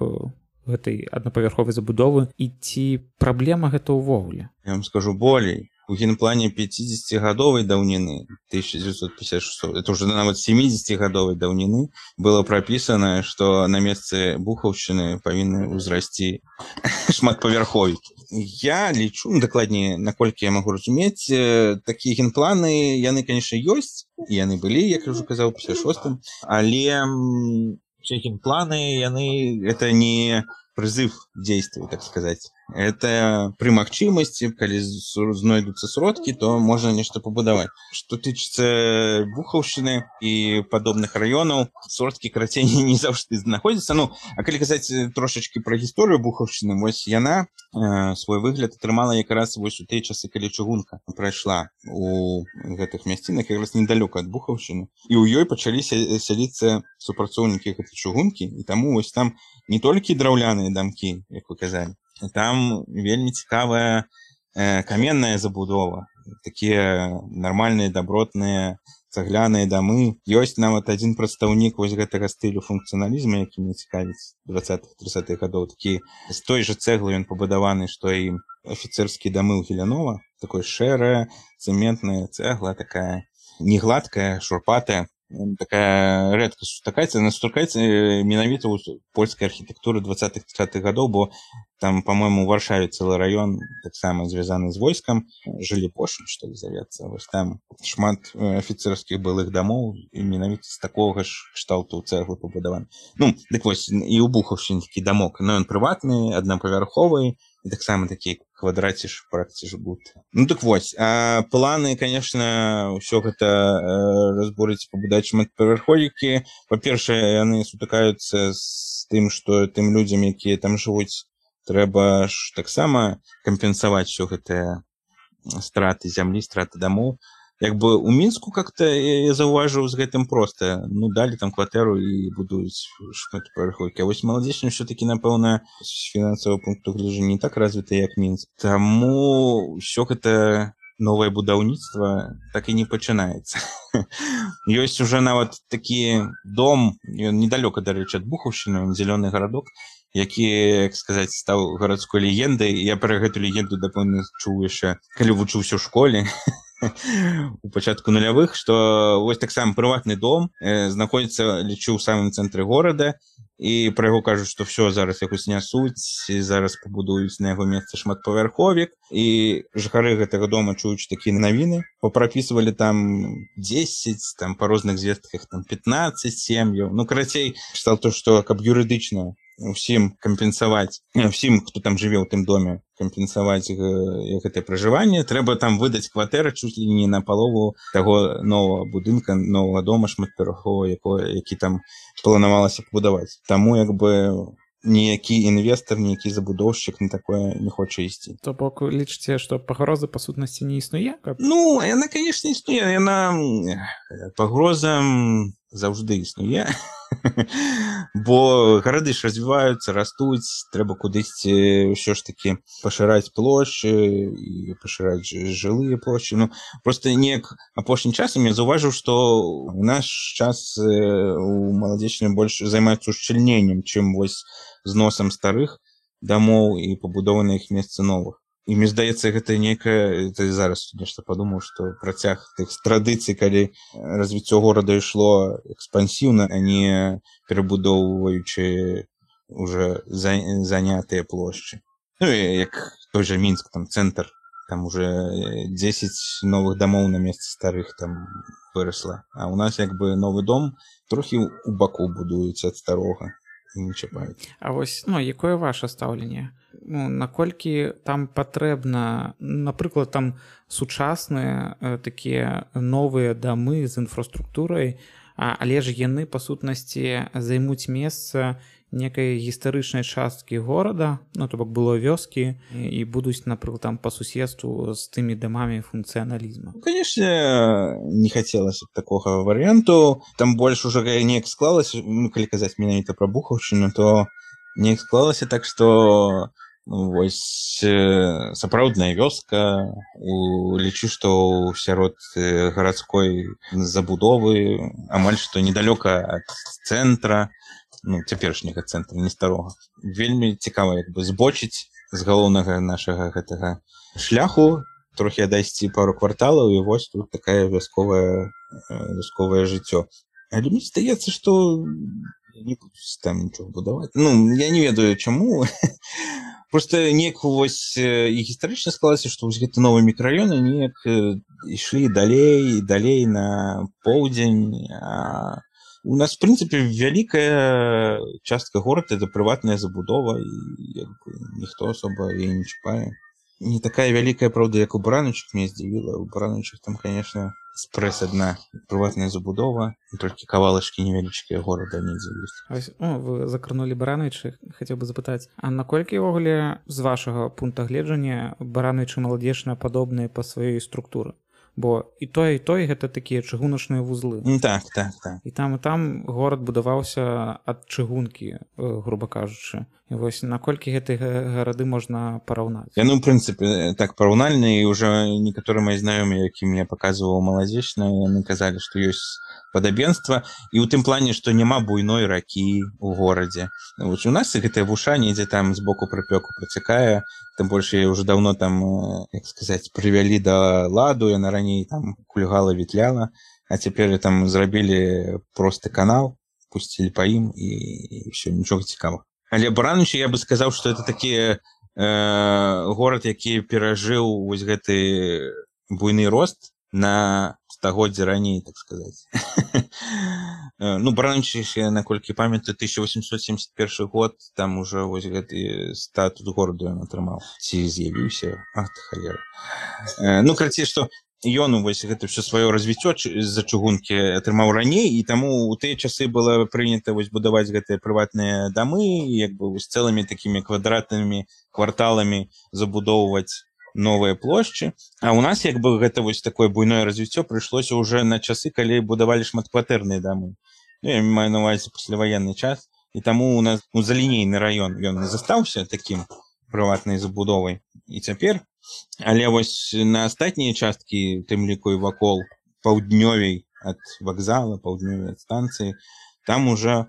гэтай аднапавярховай забудовы, і ці праблема гэта ўвогуле? Я вам скажу болей. У генплане пятидесятигадовой даўніны тысяча девятьсот пятьдесят шестого, это уже нават семидесятигадовой даўніны, было прописано, что на месцы Бухаўшчыны павінны ўзрасці шматпавярховікі. Я лічу, ну, дакладней, наколькі я магу разумець, такія генпланы, яны, конечно, ёсць, і яны былі, як я ўжо казаў, у пятьдесят шостым, але все генпланы, яны, это не призыв к действию, так сказать. Это при магчымасці, калі знойдуцца сродкі, то можна нешта пабудаваць. Што тычыцца Бухаўшчыны і падобных раёнаў, сродкі карацей не заўжды знаходзяцца. Ну, а калі казаць трошачкі пра гісторыю Бухаўшчыны, вось яна э, свой выгляд атрымала якраз вось у тыя часы, калі чыгунка прайшла у гэтых мясцінах, якраз недалёка ад Бухаўшчыны. І ў ёй пачалі сяліцца супрацоўнікі гэтай чыгункі, і таму вось там не толькі драўляныя дамкі, як вы казалі, там вельмі цікавая э, каменная забудова, такія нармальныя дабротныя цагляныя дамы. Ёсць нават адзін прадстаўнік вось гэтага стылю функцыяналізму, які мне цікавіць двадцатых-тридцатых гадоў. Такі з той жа цэглы ён пабудаваны, што і афіцэрскія дамы ў Геленова, такой шэрая цэментная цэгла, такая негладкая, шурпатая. Такая рэдка сустракаецца, она сустракаецца менавіта ў польскай архітэктуры двадцатых-тридцатых гадоў, бо там, по-моему, у Варшаве цэлы раён таксама звязаны з войскам, жылі Пошын, што ли завецца. Вось там шмат афіцэрскіх былых дамоў і менавіта з такога ж кшталту цэглы пабудаваны. Ну, дык вось, і ў Бухаўшчыне такі дамок, но ён прыватны, аднапавярховы, і таксама такі квадраціш пракціш будто. Ну так вось, а планы, конечно, ўсё гэта э, разбурыць, пабудаць шматпавярховікі. Па-першае, яны сутыкаюцца з тым, што тым людзям, якія там жывуць, трэба ж таксама кампенсаваць ўсё гэтыя страты зямлі, страты дамоў. Як бы у Мінску как-то я заўважыў з гэтым проста. Ну, далі там кватэру і будуюць шматпавярховікі. А вось Маладзечна ўсё-такі, напэўна, з фінансавага пункту гледжання не так развіта, як Мінск. Таму ўсё гэта новае будаўніцтва так і не пачынаецца. Ёсць уже нават такі дом, ён недалёка, дарэчы, ад Бухаўшчыны, зялёны гарадок, які, як сказаць, стаў гарадской легендай. Я пра гэту легенду, дапэўна, чуў яшчэ, калі вучыўся ў школе. у пачатку нулявых, што вось таксама прыватны дом э, знаходзіцца, лічу, ў самым цэнтры горада, і пра яго кажуць, што все зараз якось нясуць, і зараз пабудуюць на яго месцы шматпавярховік, і жыхары гэтага дома, чуючы такія навіны, папрапісвалі там дзесяць, там па розных звестках там пятнаццаць сем'яў. Ну, карацей, чытаў то, што каб юрыдычна усім кампенсаваць, усім, хто там жыве ў тым доме, кампенсаваць гэтае пражыванне, трэба там выдаць кватэры чуць ли не на палову таго новага будынка, новага дома шматпавярховага, які там планавалася пабудаваць. Таму як бы ніякі інвестор, ніякі забудоўшчык на такое не хоча ісці. То бок лічыце, што пагроза па сутнасці не існуе? Каб... Ну, яна, канешне, існуе. Яна пагроза заўжды існуе. Бо гарады ж развіваюцца, растуць, трэба кудысьці ўсё ж такі пашыраць плошчы і пашыраць жылыя плошчы. Ну, проста неяк апошнім часам я заўважыў, што ў наш час у маладзечні больш займаюцца ушчыльненнем, чым вось зносам старых дамоў і пабудовы на іх месцы новых. І мне здаецца, гэта нейкая, это зараз нешта падумаў, што працяг тых традыцый, калі развіццё горада ішло экспансіўна, а не перабудоўваючы уже занятыя плошчы. Ну і як той жа Мінск, там цэнтр, там уже дзесяць новых дамоў на месцы старых там вырасла. А ў нас як бы новы дом трохі ў баку будуецца ад старога. Не чапаюць. А вось, ну, якое ваше стаўленне? Ну, наколькі там патрэбна, напрыклад, там сучасныя э, такія новыя дамы з інфраструктурай, а, але ж яны, па сутнасці, займуць месца некай гістарычнай часткі горада, ну, то бок было вёскі, і будуць, напрыклад, там па суседству з тымі дамамі функцыяналізму. Ну, конечно, не хацелася такога варыянту. Там больш уже неяк склалася, ну, калі казаць менавіта пра Бухаўшчыну, то неяк склалася так, што ну, вось сапраўдная вёска, у, лічу, што сярод гарадской забудовы, амаль што недалёка ад цэнтра, ну, цяперашняга цэнтра, не старога. Вельмі цікава як бы збочыць з галоўнага нашага гэтага шляху, трохі адайсці пару кварталаў, і вось тут такая вясковая, вясковае жыццё. Але мне здаецца, што не будуць там нічога будаваць. Ну, я не ведаю, чаму. Просто неяк вось і гістарычна склалася, што вось гэты новы мікрараёны неяк ішлі далей, далей на поўдзень, а у нас, в прынцыпе, вялікая частка горада — это прыватная забудова, і ніхто асоба яе не чапае. Не такая вялікая, правда, як у Баранаўчых, мне здзівіла. У Баранаўчых там, конечно, спрэс адна прыватная забудова, і толькі кавалачкі невялічкія горада недзе ёсць. О, вы закранулі Баранаўчы, хацеў бы запытаць, а наколькі ўвогуле з вашага пункта гледжання Баранаўчы маладзечна падобныя па сваёй структуры? Бо і той, і той гэта такія чыгуначныя вузлы. Так, так, так. І там, і там горад будаваўся ад чыгункі, груба кажучы. І вось наколькі гэтыя гарады можна параўнаць? Я, ну, в прынцыпе, так параўнальна, і ўжо некаторыя мои знаёмыя, якім я паказваў маладзечна, яны казалі, што ёсць падабенства, і ў тым плане, што няма буйной ракі ў горадзе. Вось у нас гэтая вуша недзе там з боку прыпёку працякае, тым больш яе ўжо даўно там, як сказаць, прывялі да ладу, яна раней там кульгала, ветляла, а цяпер там зрабілі просты канал, пусцілі па ім, і, і ўсё, нічога цікавага. Але Баранаўчы, я бы сказаў, што это такі э, горад, які перажыў вось гэты буйны рост на стагоддзі раней, так сказаць. Ну, Баранаўчы, наколькі памятаю, тысяча восемьсот семьдесят первый год, там уже вось гэты статус гораду ён атрымаў. Ці з'явіўся? Ах ты халера. Э, ну, карацей, што ён вось гэта ўсё сваё развіццё з-за чыгункі атрымаў раней, і таму ў тыя часы было прынята вось будаваць гэтыя прыватныя дамы, як бы з цэлымі такімі квадратнымі кварталамі забудоўваць новыя плошчы. А ў нас як бы гэта вось такое буйное развіццё прыйшлося ўжо на часы, калі будавалі шматкватэрныя дамы. Ну, я маю на ўвазе пасляваенны час, і таму у нас ну, залінейны раён ён застаўся такім прыватнай забудовай. І цяпер, але вось на астатнія часткі, тым ліку і вакол паўднёвей ад вакзала, паўднёвей ад станцыі, там уже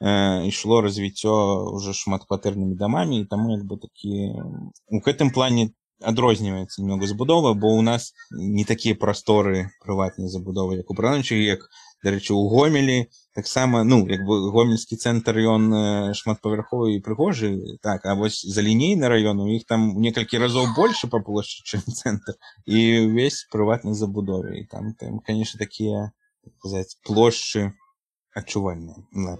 э, ішло развіццё уже шматкватэрнымі дамамі, і таму як бы такі у гэтым плане адрозніваецца немного забудова, бо у нас не такія прасторы прыватнай забудовы, як у Браночы, як, дарэчы, у Гомелі. Таксама, ну, як бы гомельскі цэнтр, ён шматпавярховы і прыгожы, так, а вось за лінейны раён, у іх там у некалькі разоў больше па плошчы, чым цэнтр, і ўвесь прыватнай забудове. І там, там, конечно, такія, так сказаць, плошчы адчувальныя. Да.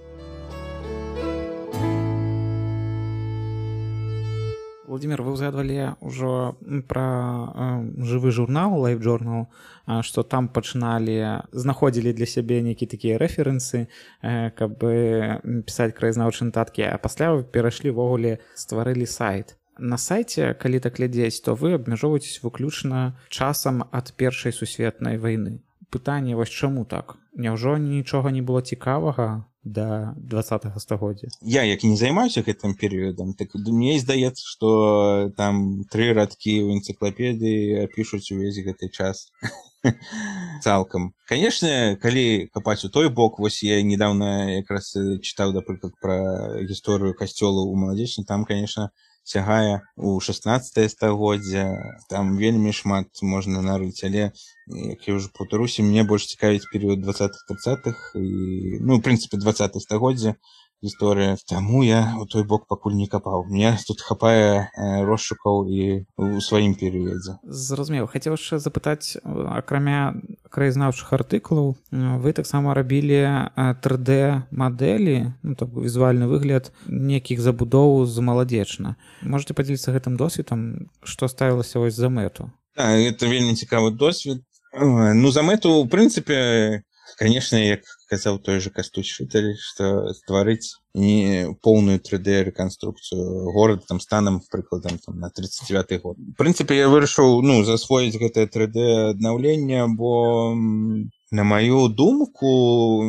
Владимир, вы узгадывали уже про э, живый журнал, Life Journal, э, что там починали, знаходили для себе некие такие референсы, э, как бы писать краязнаўчыя нотатки, а пасля вы перайшлі ввогуле, стварылі сайт. На сайце, калі так глядзець, то вы абмяжоўваецесь выключна часам ад першай сусветнай вайны. Пытанне, вось чаму так? Няўжо нічога не было цікавага да двадцатага стагоддзя? Я, як і не займаюся гэтым перыядам, так мне здаецца, што там тры радкі ў энцыклапедыі апішуць увесь гэты час цалкам. Канешне, калі капаць у той бок, вось я недавно якраз чытаў, напрыклад, пра гісторыю касцёла ў Маладзечні, там, конечно, сягае у шаснаццатае стагоддзя, там вельмі шмат можна нарыць, але, як я ўжо паўтаруся, мне больш цікавіць перыяд двадцатых-трыццатых і, ну, в прынцыпе, двадцатае стагоддзя гісторыя. Таму я у той бок пакуль не капаў. Мне тут хапае э, розшукаў і ў сваім перыядзе. Зразумеў. Хацеў яшчэ запытаць, акрамя краязнаўчых артыкулаў, вы таксама рабілі тры дэ мадэлі, ну, так, візуальны выгляд нейкіх забудоў з Маладзечна. Можаце падзяліцца гэтым досведам, што ставілася вось за мэту? Так, гэта вельмі цікавы досвед. Ну, за мэту, в прынцыпе, конечно, як казаў той же Кастусь Шыталь, што стварыць не поўную тры дэ рэканструкцыю горада там станам, прыкладам, там, на тридцать девятый год. В прынцыпе, я вырашыў, ну, засвоіць гэтае тры дэ аднаўленне, бо, на маю думку,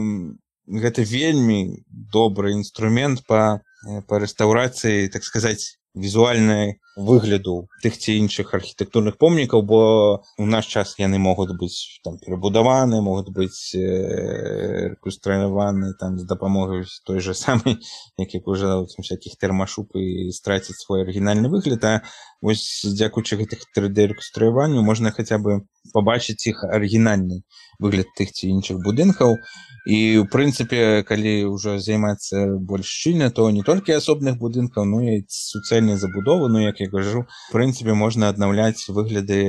гэта вельмі добры інструмент па, па рэстаўрацыі, так сказаць, візуальнай выгляду тых ці іншых архітэктурных помнікаў, бо у наш час яны могуць быць там перабудаваны, могуць быць э, рэканструяваны там з дапамогай той же самай, як як уже всякіх тэрмашуп і страціць свой арыгінальны выгляд, а вось дзякуючы гэтых тры дэ рэканструяванню можна хаця бы пабачыць іх арыгінальны выгляд тых ці іншых будынкаў. І, ў прынцыпе, калі ўжо займацца больш шчыльна, то не толькі асобных будынкаў, но і суцэльнай забудовы, ну, як я кажу, в прынцыпе, можна аднаўляць выгляды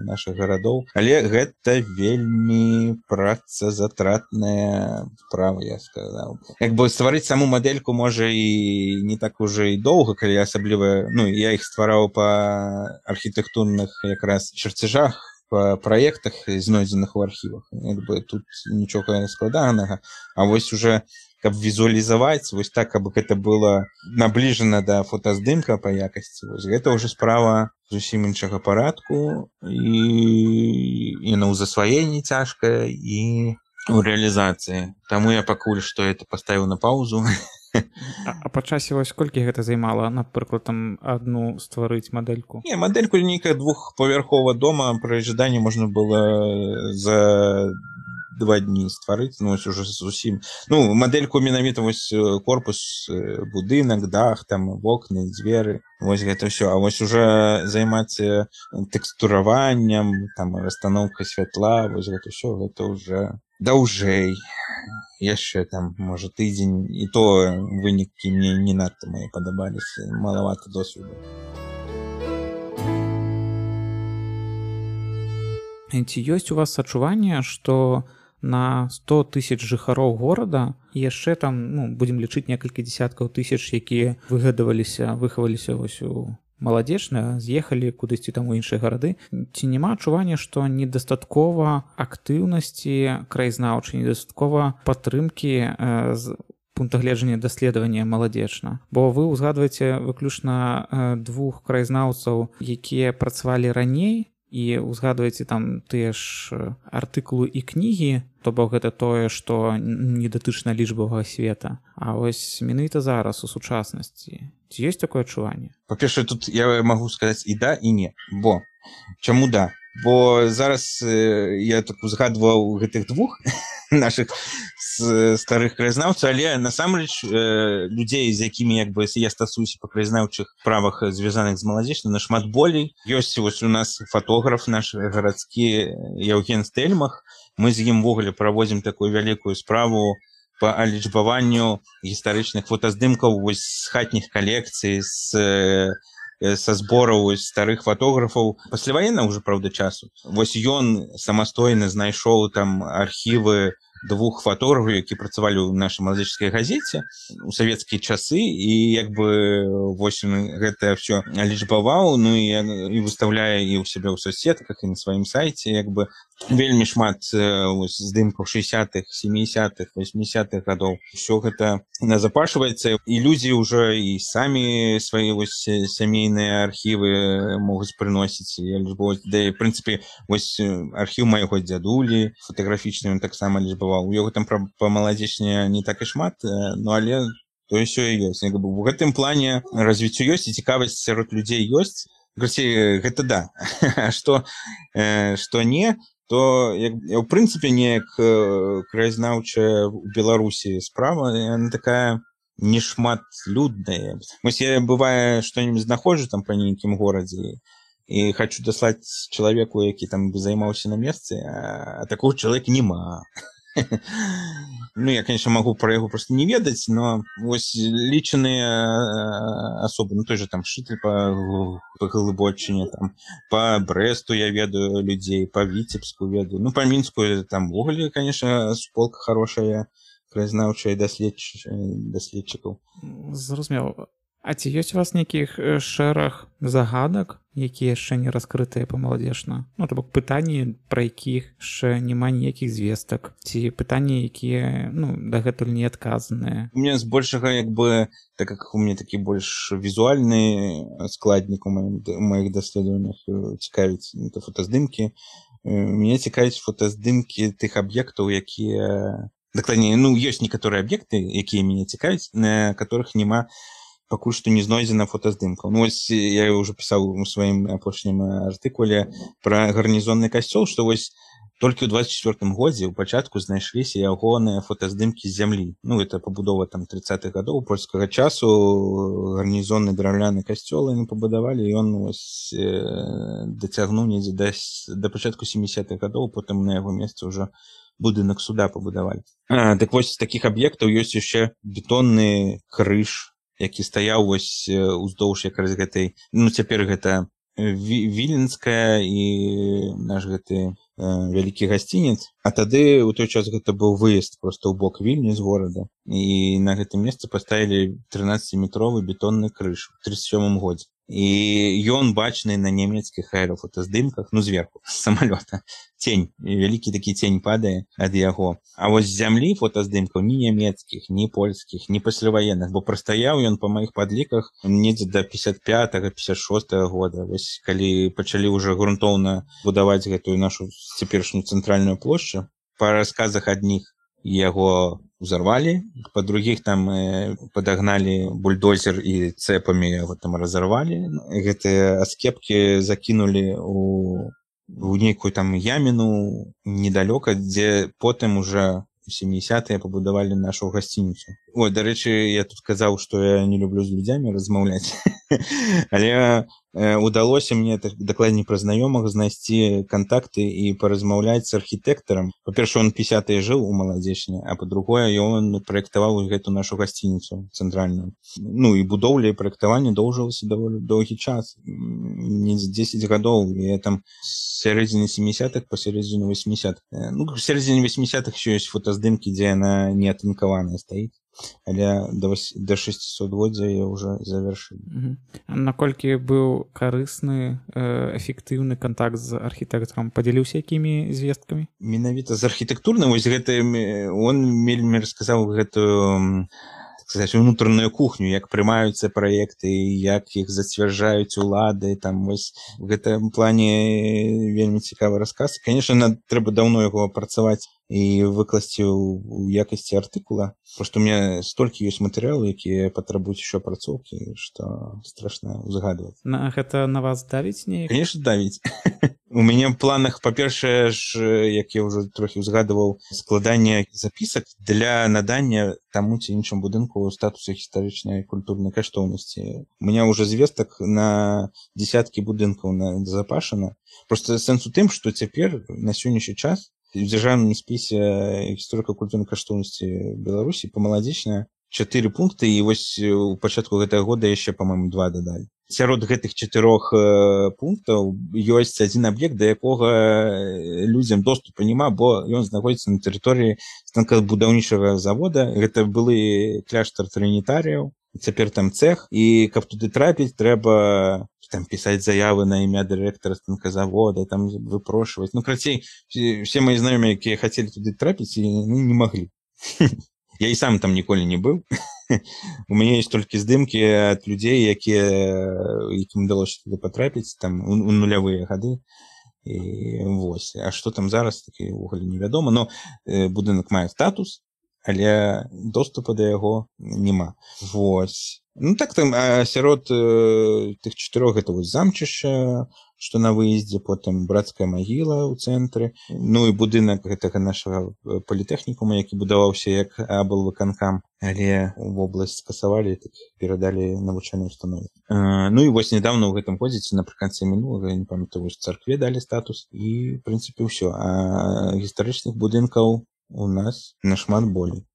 нашых гарадоў. Але гэта вельмі працазатратная справа, я сказаў. Як бы стварыць саму мадэльку можа і не так уже і доўга, калі асабліва, ну, я іх ствараў па архітэктурных якраз чарцяжах, па праектах, знойдзеных у архівах. Як бы тут нічога складанага. А вось уже, каб візуалізаваць, вось так, каб гэта было набліжана да фотаздымка па якасці, вось гэта ўжо справа зусім іншага парадку, і, і на ўзасваенні цяжкая, і ў рэалізацыі. Таму я пакуль што это паставіў на паузу. А, а па часе вось колькі гэта займала, напрыклад, там адну стварыць мадэльку? Не, мадэльку нейкая двухпавярховага дома пры жаданні можна было за два дні стварыць, ну, вось уже зусім. Ну, мадэльку менавіта вось корпус, будынак, дах, там вокны, дзверы, вось гэта ўсё. А вось уже займацца тэкстураваннем, там расстаноўкай святла, вось гэта ўсё, гэта уже даўжэй. Яшчэ там, можа, тыдзень, і то вынікі мне не надта мае падабаліся, малавата досведу. Ці ёсць у вас адчуванне, што на сто тысяч жыхароў горада яшчэ там, ну, будзем лічыць некалькі дзесяткаў тысяч, якія выгадаваліся, выхаваліся вось у Маладзечна, з'ехалі кудысьці там у іншыя гарады. Ці няма адчування, што недастаткова актыўнасці краязнаўчай, недастаткова падтрымкі э, з пункта гледжання даследавання Маладзечна? Бо вы ўзгадваеце выключна э, двух краязнаўцаў, якія працавалі раней, і ўзгадваеце там тыя ж артыкулы і кнігі, то бок гэта тое, што не датычна лічбавага света. А вось менавіта зараз у сучаснасці ці ёсць такое адчуванне? Па-першае, тут я магу сказаць і да, і не. Бо чаму да? бо зараз я так узгадваў гэтых двух наших старых краязнаўцаў, але насамрэч людзей, з якімі як бы я стасуюся па краязнаўчых справах, звязаных з маладзечнай, нашмат болей. Ёсць вось у нас фотограф наш гарадскі Яўген Стэльмах. Мы з ім увогуле праводзім такую вялікую справу па алічбаванню гістарычных фотаздымкаў вось з хатніх калекцый, з са збораў старых фотографаў пасляваеннага ўжо, праўда, часу. Вось ён самастойна знайшоў там архівы двух фотографаў, які працавалі ў нашай маладзечнай газеце у савецкія часы, і як бы вось ён гэта ўсё алічбаваў, ну і, і выстаўляе і ў сябе ў соцсетках, і на сваім сайце, як бы вельмі шмат вось, здымкаў шэсцідзятых, сямідзясятых, васьмідзясятых гадоў. Усё гэта назапашваецца, і людзі ўжо і самі свае вось сямейныя архівы могуць прыносіць. Да, і, в прынцыпе, вось архіў майго дзядулі фотаграфічны ён таксама лічбаваў. У яго там па маладзечне не так і шмат, ну але то ўсё і ёсць. Як бы у гэтым плане развіццё ёсць і цікавасць сярод людзей ёсць. Граці, гэта да. А што, што не, то як, ў прынцыпе неяк краязнаўчая ў Беларусі справа, яна такая нешматлюдная. Вось я бывае што-нибудь знаходжу там па нейкім горадзе і хочу даслаць чалавеку, які там займаўся на месцы, а такого чалавека няма. Ну, я, конечно, могу про яго просто не ведаць, но вось лічаныя асобы, ну той же там Шыталь па, па Глыбочыне, там па Брэсту я ведаю людзей, па Віцебску ведаю, ну па Мінску там увогуле, конечно, суполка хорошая, краязнаўчая даследчыкаў. Зразумела. А ці ёсць у вас нейкіх шэраг загадак, якія яшчэ не раскрытыя па-маладзечна? Ну, то бок пытанні, пра якіх яшчэ няма ніякіх звестак, ці пытанні, якія, ну, дагэтуль не адказаныя? У меня збольшага, як бы, так як у мяне такі больш візуальны складнік у маіх даследаваннях цікавіць, это фотаздымкі. Мяне цікавіць фотаздымкі тых аб'ектаў, якія... Дакладней, ну, ёсць некаторыя аб'екты, якія мяне цікавіць, на которых няма пакуль што не знойдзена фотаздымкаў. Ну, вось я ўжо пісаў у сваім апошнім артыкуле пра гарнізонны касцёл, што вось толькі ў дваццаць чвёртым годзе ў пачатку знайшліся ягоныя фотаздымкі з зямлі. Ну, гэта пабудова там трыццатых гадоў польскага часу, гарнізонны драўляны касцёл яны пабудавалі, і ён вось дацягнуў недзе да, да пачатку сямідзясятых гадоў, потым на яго месцы ўжо будынак суда пабудавалі. А, так вось з такіх аб'ектаў ёсць яшчэ бетонны крыж, які стаяў вось уздоўж якраз гэтай, ну цяпер гэта Віленская і наш гэты э, вялікі гасцінец. А тады ў той час гэта быў выезд проста ў бок Вільні з горада. І на гэтым месцы паставілі трынаццаціметровы бетонны крыж у тридцать сёмым годзе. І ён бачны на нямецкіх аэрафотаздымках, ну зверху, з самалёта. Цень, вялікі такі цень падае ад яго. А вось з зямлі фотаздымкаў ні нямецкіх, ні польскіх, ні пасляваенных, бо прастаяў ён па маіх падліках недзе да пятьдесят пятого пятьдесят шостого года. Вось калі пачалі ўжо грунтоўна будаваць гэтую нашу цяперашнюю цэнтральную плошчу, па расказах адних яго узорвали, по других там э, подогнали бульдозер и цепами его там разорвали. Гэтыя аскепки закинули у, у некую там ямину недалёка, дзе потым уже у сямідзясятыя пабудавалі нашу гасцініцу. Ой, дарэчы, я тут казаў, што я не люблю з людзямі размаўляць. Але э, удалося мне, так, дакладней пра знаёмых, знайсці кантакты і паразмаўляць з архітэктарам. Па-першае, он пятьдесятые жыў у Маладзечне, а па-другое, ён праектаваў гэту нашу гасцініцу цэнтральную. Ну і будоўля і праектаванне доўжылася даволі доўгі час, не дзесяць гадоў, і там з сярэдзіны сямідзясятых па сярэдзіну васьмідзясятых. Ну, в сярэдзіне васьмідзясятых еще ёсць фотаздымкі, дзе яна не атынкаваная стаіць. Але до, до шестисотгоддзя я уже завершил. Угу. Наколькі быў карысны, эфектыўны контакт з архітэктарам? Падзяліўся якімі звесткамі? Менавіта з архітэктурным, вось гэта, он вельмі расказаў гэтую, так сказаць, унутраную кухню, як прымаюцца праекты, як іх зацвярджаюць улады, там вось в гэтым плане вельмі цікавы расказ. Конечно, трэба даўно яго апрацаваць і выкласці ў якасці артыкула, потому што у меня столькі ёсць матэрыялы, якія патрабуюць еще апрацоўкі, што страшна ўзгадваць. На гэта на вас давіць неяк? Конечно, давіць. У мяне ў планах, па-першае ж, як я ўжо трохі ўзгадываў, складанне запісак для надання таму ці іншым будынку статусу гістарычнай культурнай каштоўнасці. У мяне ўжо звестак на дзесяткі будынкаў назапашана. Проста сэнс у тым, што цяпер на сённяшні час у дзяржаўным спісе гісторыка-культурнай каштоўнасці Беларусі памаладзечна чатыры пункты, і вось у пачатку гэтага года яшчэ, па-моему, два дадалі. Сярод гэтых чатырох пунктаў ёсць адзін аб'ект, да якога людзям доступу няма, бо ён знаходзіцца на тэрыторыі станкабудаўнічага завода. Гэта былы кляштар трынітарыяў, цяпер там цэх, і каб туды трапіць, трэба там пісаць заявы на імя дырэктара станказавода, там выпрошваць. Ну, крацей, все мои знаёмыя, якія хацелі туды трапіць, ну, не маглі. Я і сам там ніколі не быў. У мяне ёсць толькі здымкі ад людзей, якія якім удалося туды патрапіць там у нулявыя гады. І вось. А што там зараз, такі ўвогуле невядома. Но будынак мае статус, але доступа да яго няма. Вось. Ну так там сярод тых чатырох гэта вось замчышча, што на выездзе, потым брацкая магіла ў цэнтры, ну і будынак гэтага нашага політэхнікума, які будаваўся як аблвыканкам, але вобласць скасавалі, так перадалі навучальнай установе. Ну і вось недавно ў гэтым годзе, напрыканцы мінулага, я не памятаю, вось царкве далі статус, і в прынцыпе ўсё. А гістарычных будынкаў у нас нашмат болей.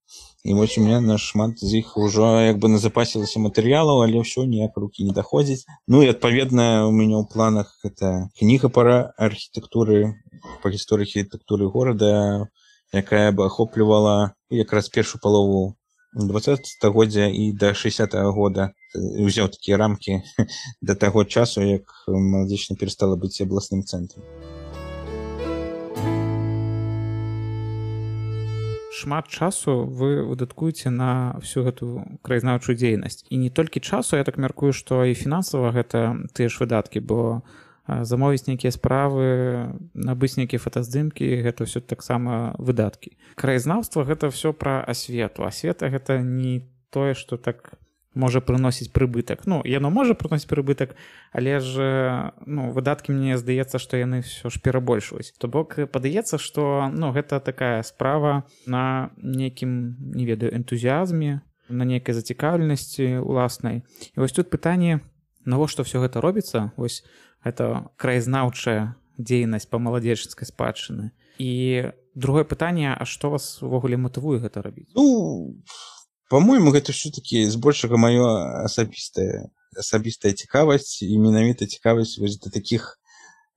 І вось у меня нашмат з іх ўжо як бы назапасілася матэрыялаў, але ўсё ніяк рукі не даходзіць. Ну і адпаведна у мяне ў планах гэта кніга па архітэктуры, па гісторыі архітэктуры горада, якая бы ахоплівала якраз першую палову дваццатага стагоддзя і да шэсцятага года. Узяў такія рамкі да таго часу, як Маладзечна перастала быць абласным цэнтрам. Шмат часу вы выдаткуеце на всю гэту краязнаўчую дзейнасць. І не толькі часу, я так мяркую, што і фінансава гэта тыя ж выдаткі, бо замовіць нейкія справы, набыць нейкія фотаздымкі, гэта ўсё таксама выдаткі. Краязнаўства гэта ўсё пра асвету. Асвета гэта не тое, што так можа прыносіць прыбытак. Ну, яно можа прыносіць прыбытак, але ж ну, выдаткі, мне здаецца, што яны ўсё ж перабольшваюць. То бок падаецца, што ну, гэта такая справа на нейкім, не ведаю, энтузіазме, на нейкай зацікаўленасці уласнай. І вось тут пытанне, навошта ўсё гэта робіцца? Вось гэта краязнаўчая дзейнасць па маладзечанскай спадчыны. І другое пытанне, а што вас увогуле матывуе гэта рабіць? Ну, по-моему, гэта ўсё-такі збольшага маё асабістая асабістая цікавасць, і менавіта цікавасць вось да такіх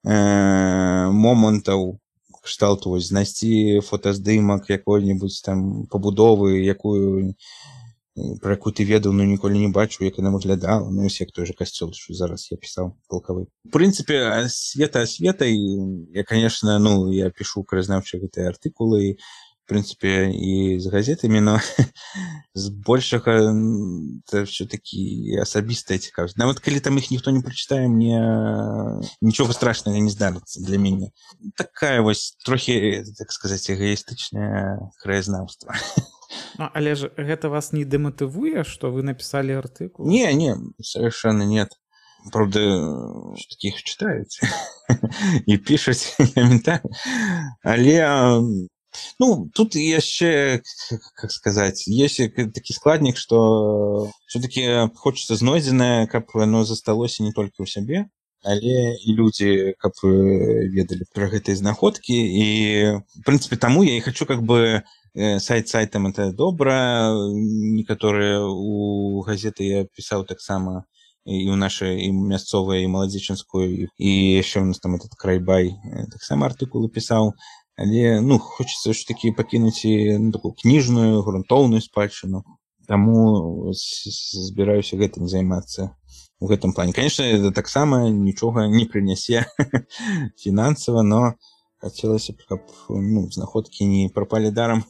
э, момантаў кшталту вось знайсці фотаздымак якой-небудзь там пабудовы, якую про якую ты ведаў, но ніколі не бачыў, як яна выглядала. Ну, як той же касцёл, що зараз я пісаў полкавы. В прынцыпе, асвета асветай, я, конечно, ну, я пішу краязнаўчыя гэтыя артыкулы, в принципе, и с газетами, но збольшага это все-таки асабістая цікавасць. Нават калі там их ніхто не прочитае, мне нічога страшнага не здарыцца для мяне. Такая вось трохі, так сказаць, эгоістычнае краязнаўства. Ну, але ж гэта вас не дематывуе, што вы написали артыкул? Не, не, совершенно нет. Правда, таких читаюць і пішуць каментарі. Але ну, тут яшчэ, как сказать, есть такі складнік, што все-таки хочется знойдзенае, каб оно засталося не только ў сябе, але і людзі, каб ведалі пра гэтыя знаходкі. І, в принципе, таму я і хочу, как бы, сайт сайтам это добра. Некаторыя у газеты я пісаў таксама і ў нашай і мясцовай, і маладзечанскую, і яшчэ у нас там этот Крайбай таксама артыкулы пісаў. Але, ну, хочется все-таки пакінуць і ну, такую кніжную, грунтоўную спадчыну. Таму збіраюся гэтым займацца у гэтым плане. Конечно, это таксама нічога не прынясе фінансава, но хацелася б, каб ну, знаходкі не прапалі дарам.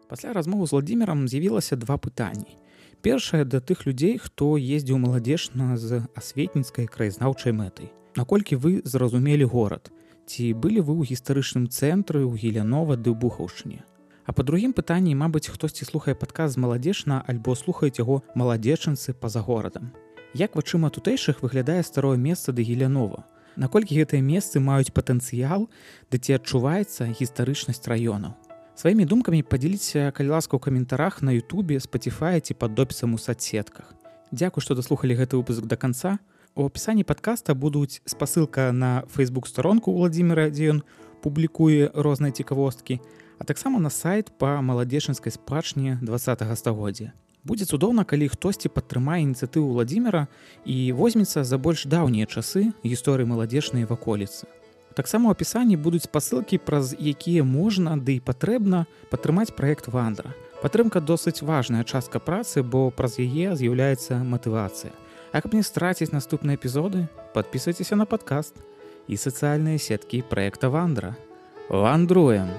Пасля размовы з Владзімірам з'явілася два пытанні. Першае да тых людзей, хто ездзіў Маладзечна з асветніцкай краязнаўчай мэтай. Наколькі вы зразумелі горад? Ці былі вы ў гістарычным цэнтры ў Гілянова ды ў Бухаўшчыне? А па другім пытанні, мабыць, хтосьці слухае падкаст з Маладзечна альбо слухаюць яго маладзечанцы па-за горадам. Як вачыма тутэйшых выглядае старое месца да Гілянова? Наколькі гэтыя месцы маюць патэнцыял, ды ці адчуваецца гістарычнасць раёнаў. Сваімі думкамі падзяліцеся, калі ласка, ў каментарах на Ютубе, Spotify ці пад допісам у соцсетках. Дзякуй, што даслухалі гэты выпуск да канца. У апісанні падкаста будуць спасылка на фэйсбук-старонку Уладзіміра, дзе ён публікуе розныя цікавосткі, а таксама на сайт па маладзечанскай спадчыне дваццатага стагоддзя. Будзе цудоўна, калі хтосьці падтрымае ініцыятыву Уладзіміра і возьмецца за больш даўнія часы гісторыі маладзечнай ваколіцы. Таксама ў апісанні будуць спасылкі, праз якія можна, ды і патрэбна падтрымаць праект «Вандра». Падтрымка досыць важная частка працы, бо праз яе з'яўляецца матывацыя. А каб не страціць наступныя эпізоды, падпісвайцеся на падкаст і сацыяльныя сеткі праекта «Вандра». Вандруем!